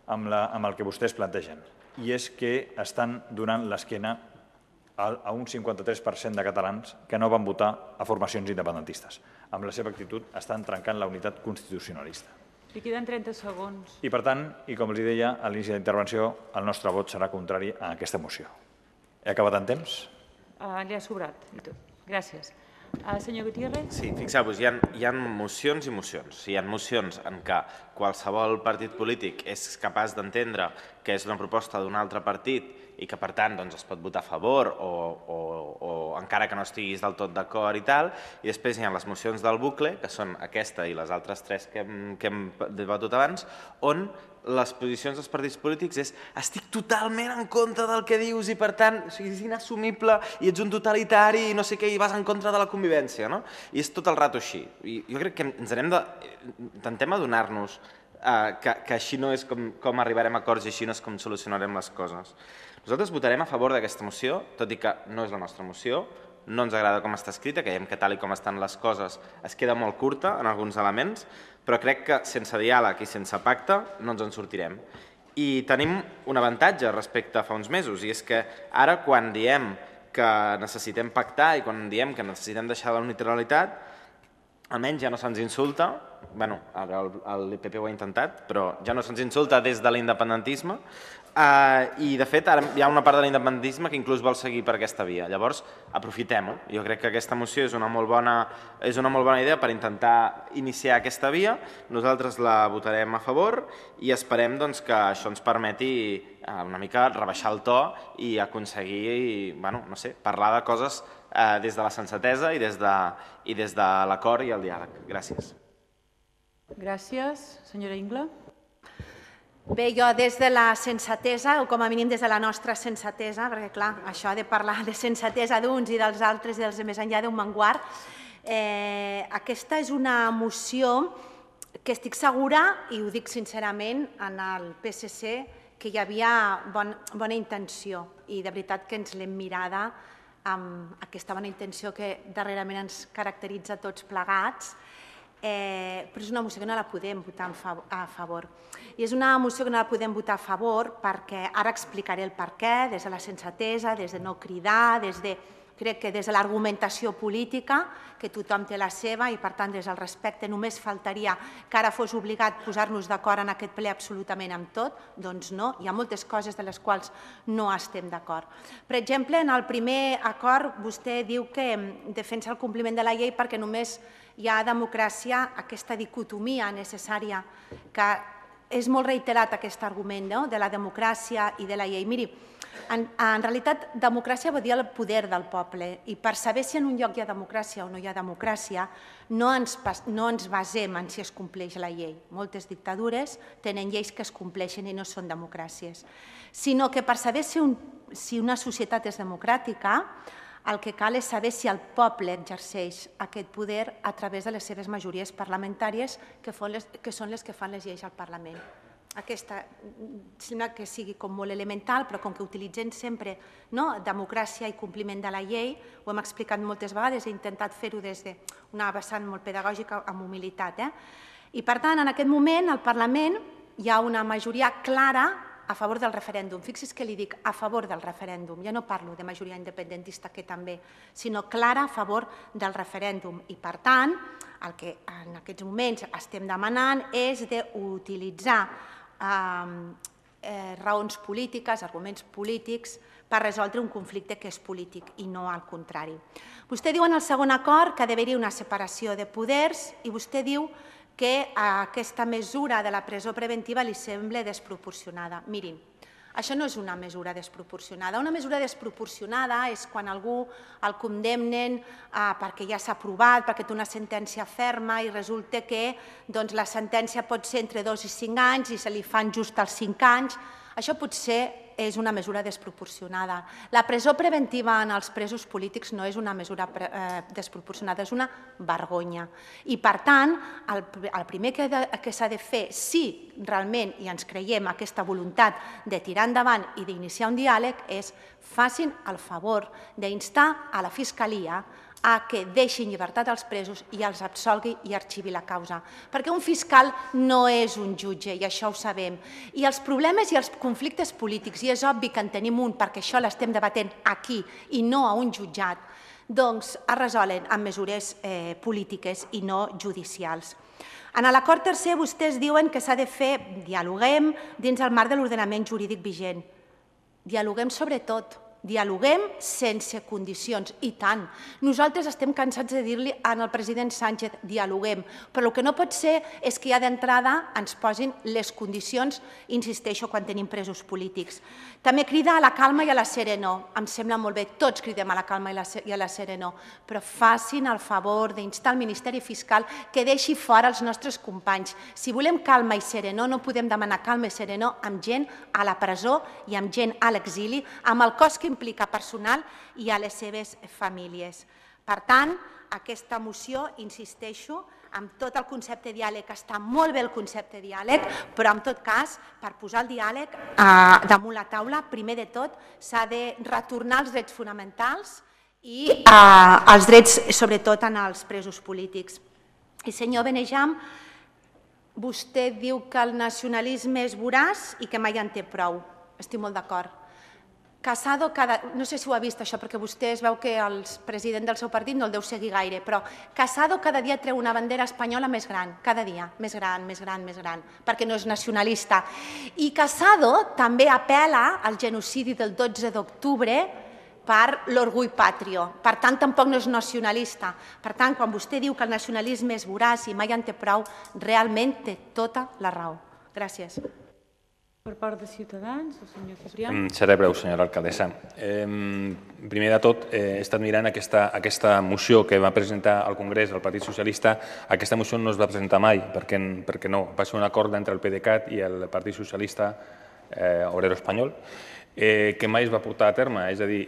amb, la, amb el que vostès plantegen, i és que estan donant l'esquena a un cinquanta-tres per cent de catalans que no van votar a formacions independentistes. Amb la seva actitud estan trencant la unitat constitucionalista. Li queden trenta segons. I per tant, i com els deia a l'inici de la intervenció, el nostre vot serà contrari a aquesta moció. He acabat en temps? Uh, li ha sobrat i tot. Gràcies. Uh, senyor Gutiérrez? Sí, fixeu-vos, hi, hi ha mocions i mocions. Hi ha mocions en què qualsevol partit polític és capaç d'entendre que és una proposta d'un altre partit i que, per tant, doncs, es pot votar a favor o, o, o encara que no estiguis del tot d'acord i tal. I després hi ha les mocions del bucle, que són aquesta i les altres tres que hem, que hem debatut abans, on les posicions dels partits polítics és estic totalment en contra del que dius i, per tant, o sigui, és inassumible i ets un totalitari i no sé què i vas en contra de la convivència, no? I és tot el rato així. I jo crec que ens anem de... intentem adonar-nos eh, que, que així no és com, com arribarem a acords i així no és com solucionarem les coses. Nosaltres votarem a favor d'aquesta moció, tot i que no és la nostra moció, no ens agrada com està escrita, creiem que tal i com estan les coses es queda molt curta en alguns elements, però crec que sense diàleg i sense pacte no ens en sortirem. I tenim un avantatge respecte a fa uns mesos, i és que ara quan diem que necessitem pactar i quan diem que necessitem deixar la unilateralitat, almenys ja no se'ns insulta, bueno, ara el P P ho ha intentat, però ja no se'ns insulta des de l'independentisme, i de fet ara hi ha una part de l'independentisme que inclús vol seguir per aquesta via. Llavors, aprofitem-ho. Jo crec que aquesta moció és una molt bona, és una molt bona idea per intentar iniciar aquesta via. Nosaltres la votarem a favor i esperem doncs, que això ens permeti una mica rebaixar el to i aconseguir, bueno, no sé, parlar de coses eh, des de la sensatesa i des de, i des de l'acord i el diàleg. Gràcies. Gràcies. Senyora Ingla. Bé, jo des de la sensatesa, o com a mínim des de la nostra sensatesa, perquè clar, això de parlar de sensatesa d'uns i dels altres i dels de més enllà d'un manguard, eh, aquesta és una moció que estic segura, i ho dic sincerament, en el P S C, que hi havia bon, bona intenció, i de veritat que ens l'hem mirada amb aquesta bona intenció que darrerament ens caracteritza tots plegats, Eh, però és una moció que no la podem votar a favor. I és una moció que no la podem votar a favor perquè ara explicaré el per què, des de la sensatesa, des de no cridar, des de, crec que des de l'argumentació política, que tothom té la seva i per tant des del respecte només faltaria que ara fos obligat posar-nos d'acord en aquest ple absolutament amb tot, doncs no, hi ha moltes coses de les quals no estem d'acord. Per exemple, en el primer acord vostè diu que defensa el compliment de la llei perquè només hi ha democràcia, aquesta dicotomia necessària, que és molt reiterat aquest argument de la democràcia i de la llei. Miri, en realitat democràcia vol dir el poder del poble i per saber si en un lloc hi ha democràcia o no hi ha democràcia no ens basem en si es compleix la llei. Moltes dictadures tenen lleis que es compleixen i no són democràcies, sinó que per saber si una societat és democràtica el que cal és saber si el poble exerceix aquest poder a través de les seves majories parlamentàries, que són les que fan les lleis al Parlament. Aquesta sembla que sigui com molt elemental, però com que utilitzem sempre democràcia i compliment de la llei, ho hem explicat moltes vegades, he intentat fer-ho des d'una vessant molt pedagògica amb humilitat. I per tant, en aquest moment, al Parlament hi ha una majoria clara a favor del referèndum. Fixi's que li dic a favor del referèndum. Jo no parlo de majoria independentista, que també, sinó clara a favor del referèndum. I, per tant, el que en aquests moments estem demanant és d'utilitzar raons polítiques, arguments polítics, per resoldre un conflicte que és polític i no al contrari. Vostè diu en el segon acord que ha d'haver-hi una separació de poders i vostè diu que aquesta mesura de la presó preventiva li sembla desproporcionada. Mirin, això no és una mesura desproporcionada. Una mesura desproporcionada és quan algú el condemnen perquè ja s'ha aprovat, perquè té una sentència ferma i resulta que la sentència pot ser entre dos i cinc anys i se li fan just els cinc anys. Això pot ser és una mesura desproporcionada. La presó preventiva en els presos polítics no és una mesura desproporcionada, és una vergonya. I, per tant, el primer que s'ha de fer, si realment i ens creiem aquesta voluntat de tirar endavant i d'iniciar un diàleg, és facin el favor d'instar a la Fiscalia a que deixi en llibertat els presos i els absolgui i arxivi la causa. Perquè un fiscal no és un jutge, i això ho sabem. I els problemes i els conflictes polítics, i és obvi que en tenim un perquè això l'estem debatent aquí i no a un jutjat, doncs es resolen amb mesures polítiques i no judicials. En l'acord tercer vostès diuen que s'ha de fer, dialoguem dins el marc de l'ordenament jurídic vigent. Dialoguem sobre tot. Dialoguem sense condicions, i tant. Nosaltres estem cansats de dir-li al president Sánchez dialoguem, però el que no pot ser és que ja d'entrada ens posin les condicions, insisteixo, quan tenim presos polítics. També crida a la calma i a la serenor. Em sembla molt bé, tots cridem a la calma i a la serenor, però facin el favor d'instar al Ministeri Fiscal que deixi fora els nostres companys. Si volem calma i serenor, no podem demanar calma i serenor amb gent a la presó i amb gent a l'exili, amb el cost que implica personal i a les seves famílies. Per tant, aquesta moció, insisteixo, amb tot el concepte diàleg, està molt bé el concepte diàleg, però en tot cas, per posar el diàleg damunt la taula, primer de tot s'ha de retornar els drets fonamentals i els drets, sobretot, en els presos polítics. I senyor Benejam, vostè diu que el nacionalisme és voraç i que mai en té prou. Estic molt d'acord. Casado, no sé si ho ha vist això, perquè vostè es veu que el president del seu partit no el deu seguir gaire, però Casado cada dia treu una bandera espanyola més gran, cada dia, més gran, més gran, més gran, perquè no és nacionalista. I Casado també apel·la al genocidi del dotze d'octubre per l'orgull patrio. Per tant, tampoc no és nacionalista. Per tant, quan vostè diu que el nacionalisme és voraç i mai en té prou, realment té tota la raó. Gràcies. Per part de Ciutadans, el senyor Ciprià. Seré breu, senyora alcaldessa. Primer de tot, he estat mirant aquesta moció que va presentar al Congrés el Partit Socialista. Aquesta moció no es va presentar mai, perquè no. Va ser un acord entre el PDeCAT i el Partit Socialista Obrero Espanyol, que mai es va portar a terme. És a dir,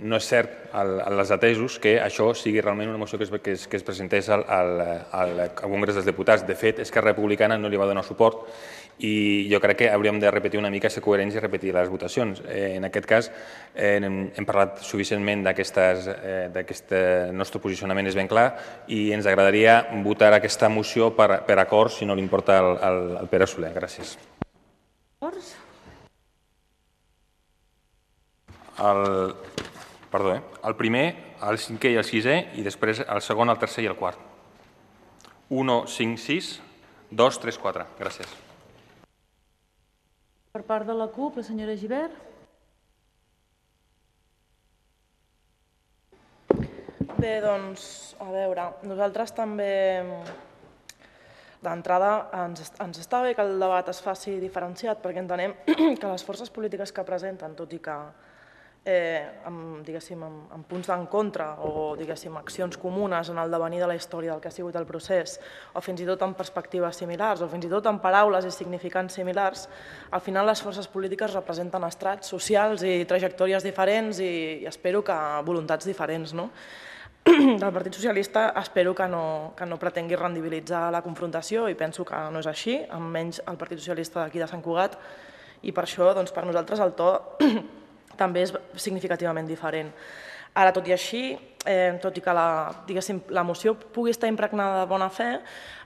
no és cert als atesos que això sigui realment una moció que es presentés al Congrés dels Diputats. De fet, Esquerra Republicana no li va donar suport i jo crec que hauríem de repetir una mica, ser coherents i repetir les votacions. En aquest cas, hem parlat suficientment d'aquest nostre posicionament, és ben clar, i ens agradaria votar aquesta moció per acord, si no li importa al Pere Soler. Gràcies. Perdó, el primer, el cinquè i el sisè, i després el segon, el tercer i el quart. un, cinc, sis, dos, tres, quatre. Gràcies. Per part de la CUP, la senyora Gibert. Bé, doncs, a veure, nosaltres també, d'entrada, ens està bé que el debat es faci diferenciat, perquè entenem que les forces polítiques que presenten, tot i que amb punts d'en contra o accions comunes en el devenir de la història del que ha sigut el procés, o fins i tot amb perspectives similars, o fins i tot amb paraules i significants similars, al final les forces polítiques representen estrats socials i trajectòries diferents i espero que voluntats diferents. Del Partit Socialista espero que no pretengui rendibilitzar la confrontació i penso que no és així, almenys el Partit Socialista d'aquí de Sant Cugat, i per això per nosaltres el to també és significativament diferent. Ara, tot i així, tot i que la moció pugui estar impregnada de bona fe,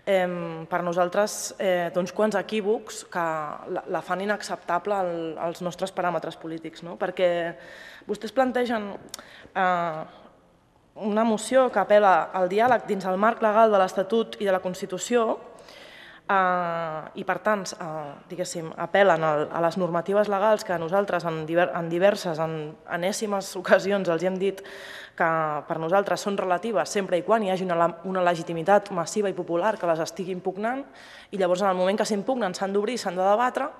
per nosaltres té uns quants equívocs que la fan inacceptable als nostres paràmetres polítics, perquè vostès plantegen una moció que apel·la al diàleg dins el marc legal de l'Estatut i de la Constitució, i per tant apel·len a les normatives legals que nosaltres en diverses, en enèsimes ocasions els hem dit que per nosaltres són relatives sempre i quan hi hagi una legitimitat massiva i popular que les estigui impugnant, i llavors en el moment que s'impugnen s'han d'obrir, s'han de debatre,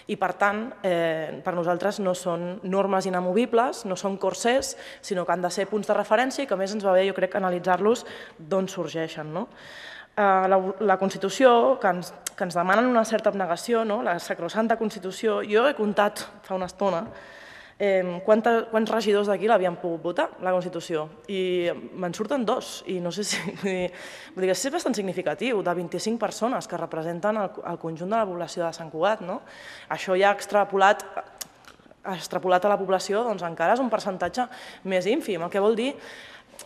i per tant per nosaltres no són normes inamovibles, no són corsers, sinó que han de ser punts de referència i que a més ens va bé, jo crec, analitzar-los d'on sorgeixen. La Constitució, que ens, que ens demanen una certa abnegació, no? La sacrosanta Constitució, jo he comptat fa una estona eh, quanta, quants regidors d'aquí l'havien pogut votar, la Constitució, i me'n surten dos, i no sé si... Vull dir, vull dir que és bastant significatiu, de vint-i-cinc persones que representen el, el conjunt de la població de Sant Cugat, no? Això ja extrapolat, extrapolat a la població, doncs encara és un percentatge més ínfim, el que vol dir...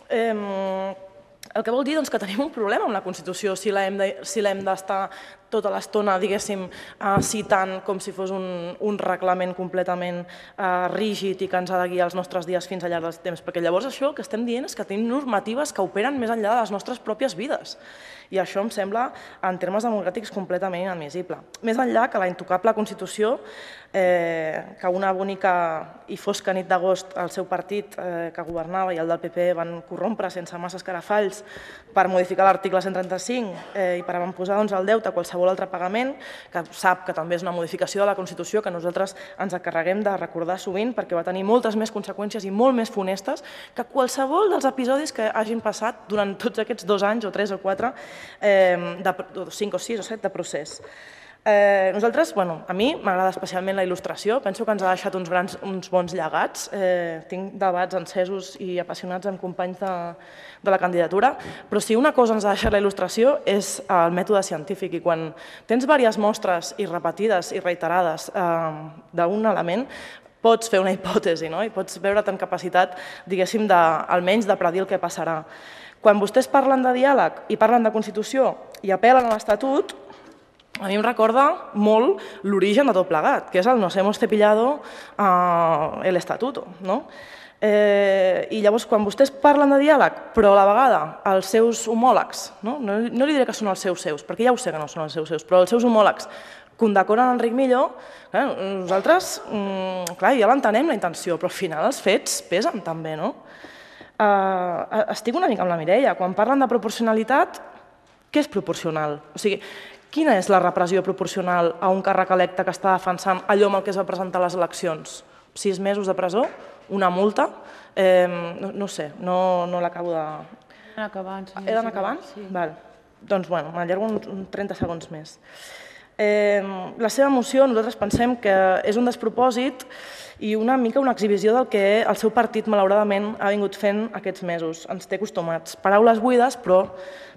Eh, El que vol dir doncs, que tenim un problema amb la Constitució si l'hem d'estar tota l'estona, diguéssim, citant com si fos un, un reglament completament eh, rígid i que ens ha de guiar els nostres dies fins al llarg del temps, perquè llavors això el que estem dient és que tenim normatives que operen més enllà de les nostres pròpies vides. I això em sembla, en termes democràtics, completament inadmissible. Més enllà que la intocable Constitució, eh, que una bonica i fosca nit d'agost el seu partit eh, que governava i el del P P van corrompre sense massa escarafalls per modificar l'article cent trenta-cinc eh, i per avantposar doncs, el deute a qualsevol altre pagament, que sap que també és una modificació de la Constitució que nosaltres ens encarreguem de recordar sovint perquè va tenir moltes més conseqüències i molt més funestes que qualsevol dels episodis que hagin passat durant tots aquests dos anys o tres o quatre de cinc o sis o set de procés. Eh, nosaltres, bueno, a mi m'agrada especialment la il·lustració, penso que ens ha deixat uns, grans, uns bons llegats, eh, tinc debats encesos i apassionats amb companys de, de la candidatura, però si una cosa ens ha deixat la il·lustració és el mètode científic, i quan tens diverses mostres i repetides i reiterades eh, d'un element, pots fer una hipòtesi, no? I pots veure't en capacitat, diguéssim, de, almenys de predir el que passarà. Quan vostès parlen de diàleg i parlen de Constitució i apel·len a l'Estatut, a mi em recorda molt l'origen de tot plegat, que és el nos hemos cepillado uh, el estatuto, no? Eh, I llavors, quan vostès parlen de diàleg, però a la vegada els seus homòlegs, no, no, no li diré que són els seus seus, perquè ja ho sé que no són els seus seus, però els seus homòlegs condecoren Enric Millo, eh, nosaltres, mm, clar, ja l'entenem la intenció, però al final els fets pesen també, no? Uh, estic una mica amb la Mireia. Quan parlen de proporcionalitat, què és proporcional? O sigui, quina és la repressió proporcional a un càrrec electe que està defensant allò amb el que es va presentar a les eleccions? Sis mesos de presó? Una multa? Eh, no, no sé, no, no l'acabo de... He d'anar acabant. He d'anar acabant? Sí. Val. Doncs, bueno, m'allargo uns trenta segons més. Eh, la seva moció, nosaltres pensem que és un despropòsit i una mica una exhibició del que el seu partit, malauradament, ha vingut fent aquests mesos. Ens té acostumats. Paraules buides, però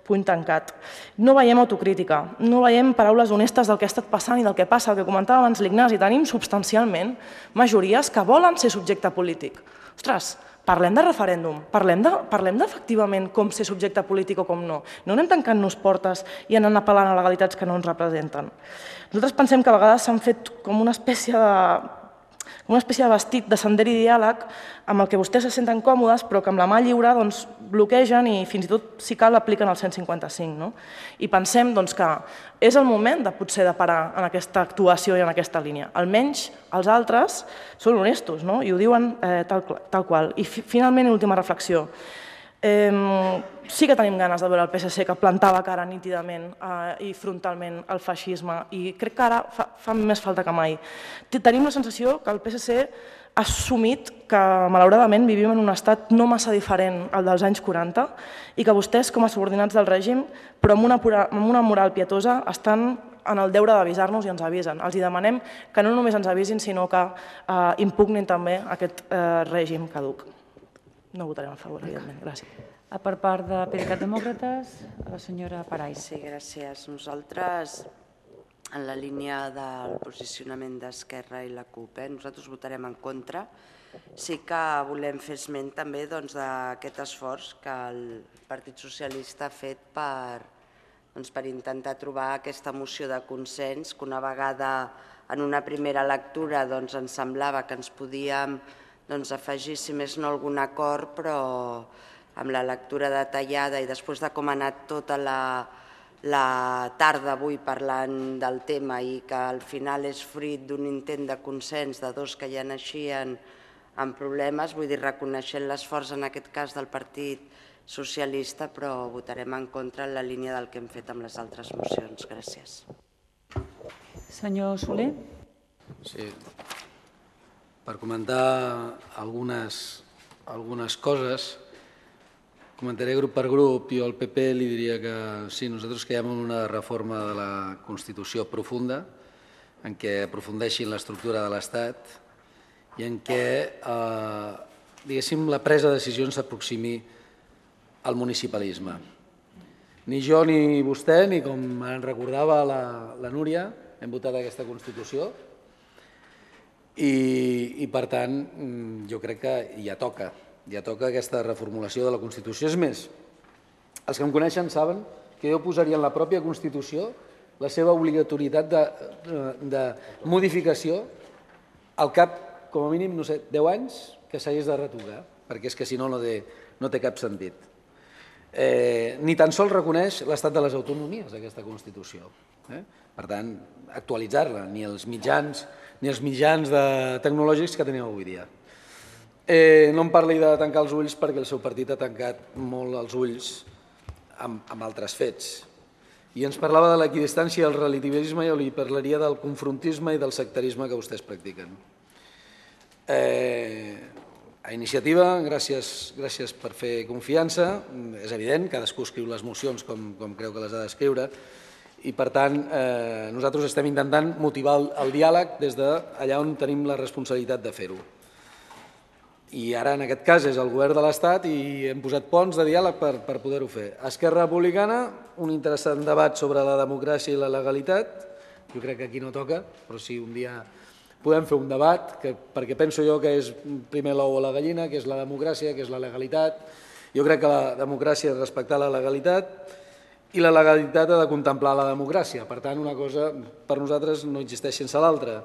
puny tancat. No veiem autocrítica, no veiem paraules honestes del que ha estat passant i del que passa, el que comentava abans l'Ignasi. Tenim substancialment majories que volen ser subjecte polític. Ostres, parlem de referèndum, parlem d'efectivament com ser subjecte polític o com no. No anem tancant-nos portes i anant apel·lant a legalitats que no ens representen. Nosaltres pensem que a vegades s'han fet com una espècie de una espècie de vestit de sender i diàleg amb el que vostès se senten còmodes, però que amb la mà lliure bloquegen i fins i tot, si cal, apliquen el cent cinquanta-cinc. I pensem que és el moment de potser de parar en aquesta actuació i en aquesta línia. Almenys els altres són honestos i ho diuen tal qual. I finalment, última reflexió. Sí que tenim ganes de veure el P S C que plantava cara nítidament i frontalment al feixisme i crec que ara fa més falta que mai. Tenim la sensació que el P S C ha assumit que malauradament vivim en un estat no massa diferent al dels anys quaranta i que vostès com a subordinats del règim però amb una moral pietosa estan en el deure d'avisar-nos i ens avisen. Els demanem que no només ens avisin sinó que impugnin també aquest règim caduc. No votarem a favor, evidentment. Gràcies. Per part de PDeCAT Demòcrates, la senyora Paray. Sí, gràcies. Nosaltres, en la línia del posicionament d'Esquerra i la CUP, nosaltres votarem en contra. Sí que volem fer esment també d'aquest esforç que el Partit Socialista ha fet per intentar trobar aquesta moció de consens, que una vegada en una primera lectura ens semblava que ens podíem afegir, si més no, algun acord, però amb la lectura detallada i després de com ha anat tota la tarda avui parlant del tema i que al final és fruit d'un intent de consens de dos que ja naixien amb problemes, vull dir, reconeixent l'esforç en aquest cas del Partit Socialista, però votarem en contra en la línia del que hem fet amb les altres mocions. Gràcies. Senyor Soler. Sí. Per comentar algunes coses, Comentaré grup per grup. Jo al P P li diria que sí, nosaltres creiem en una reforma de la Constitució profunda, en què aprofundeixin l'estructura de l'Estat i en què, diguéssim, la presa de decisions s'aproximi al municipalisme. Ni jo ni vostè, ni com en recordava la Núria, hem votat aquesta Constitució i, per tant, jo crec que ja toca, ja toca aquesta reformulació de la Constitució. És més, els que em coneixen saben que jo posaria en la pròpia Constitució la seva obligatorietat de modificació al cap, com a mínim, no sé, deu anys que s'hagués de retocar, perquè és que si no no té cap sentit. Ni tan sols reconeix l'estat de les autonomies, aquesta Constitució. Per tant, actualitzar-la, ni els mitjans ni els mitjans tecnològics que tenim avui dia. No em parli de tancar els ulls perquè el seu partit ha tancat molt els ulls amb altres fets. I ens parlava de l'equidistància i el relativisme i jo li parlaria del confrontisme i del sectarisme que vostès practiquen. A Iniciativa, gràcies per fer confiança. És evident, cadascú escriu les mocions com creu que les ha d'escriure i, per tant, nosaltres estem intentant motivar el diàleg des d'allà on tenim la responsabilitat de fer-ho. I ara, en aquest cas, és el govern de l'Estat i hem posat ponts de diàleg per poder-ho fer. Esquerra Republicana, un interessant debat sobre la democràcia i la legalitat. Jo crec que aquí no toca, però si un dia podem fer un debat, perquè penso jo que és primer l'ou o la gallina, que és la democràcia, que és la legalitat. Jo crec que la democràcia és respectar la legalitat i la legalitat ha de contemplar la democràcia. Per tant, una cosa per nosaltres no existeix sense l'altra.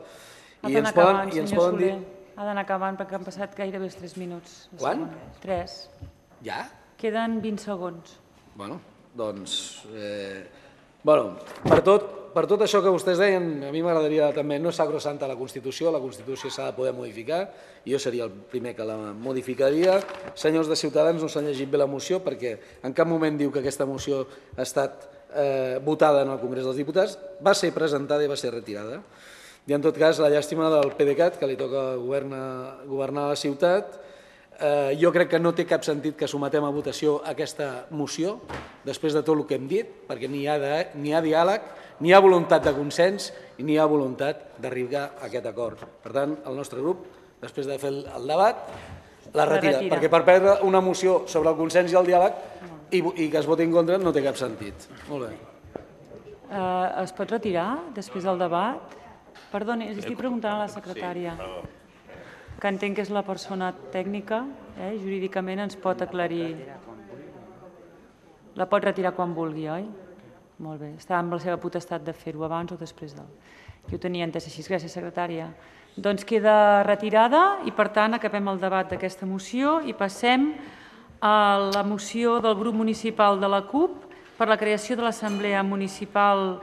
Ha d'anar acabant, senyor Soler. Ha d'anar acabant perquè han passat gairebé els tres minuts. Quan? Tres. Ja? Queden vint segons. Bueno, doncs... Per tot... Per tot això que vostès deien, a mi m'agradaria també, no és sacrosanta la Constitució, la Constitució s'ha de poder modificar, i jo seria el primer que la modificaria. Senyors de Ciutadans, no s'han llegit bé la moció perquè en cap moment diu que aquesta moció ha estat votada en el Congrés dels Diputats, va ser presentada i va ser retirada. I en tot cas, la llàstima del PDeCAT, que li toca governar la ciutat, jo crec que no té cap sentit que sometem a votació aquesta moció, després de tot el que hem dit, perquè ni hi ha diàleg, ni hi ha voluntat de consens i ni hi ha voluntat d'arribar a aquest acord. Per tant, el nostre grup, després de fer el debat, la retira, perquè per perdre una moció sobre el consens i el diàleg i que es voti en contra no té cap sentit. Molt bé. Es pot retirar després del debat? Perdoni, estic preguntant a la secretària, que entenc que és la persona tècnica, jurídicament ens pot aclarir. La pot retirar quan vulgui, oi? Molt bé. Està amb la seva potestat de fer-ho abans o després del... Jo ho tenia entès així. Gràcies, secretària. Doncs queda retirada i, per tant, acabem el debat d'aquesta moció i passem a la moció del grup municipal de la CUP per la creació de l'Assemblea Municipal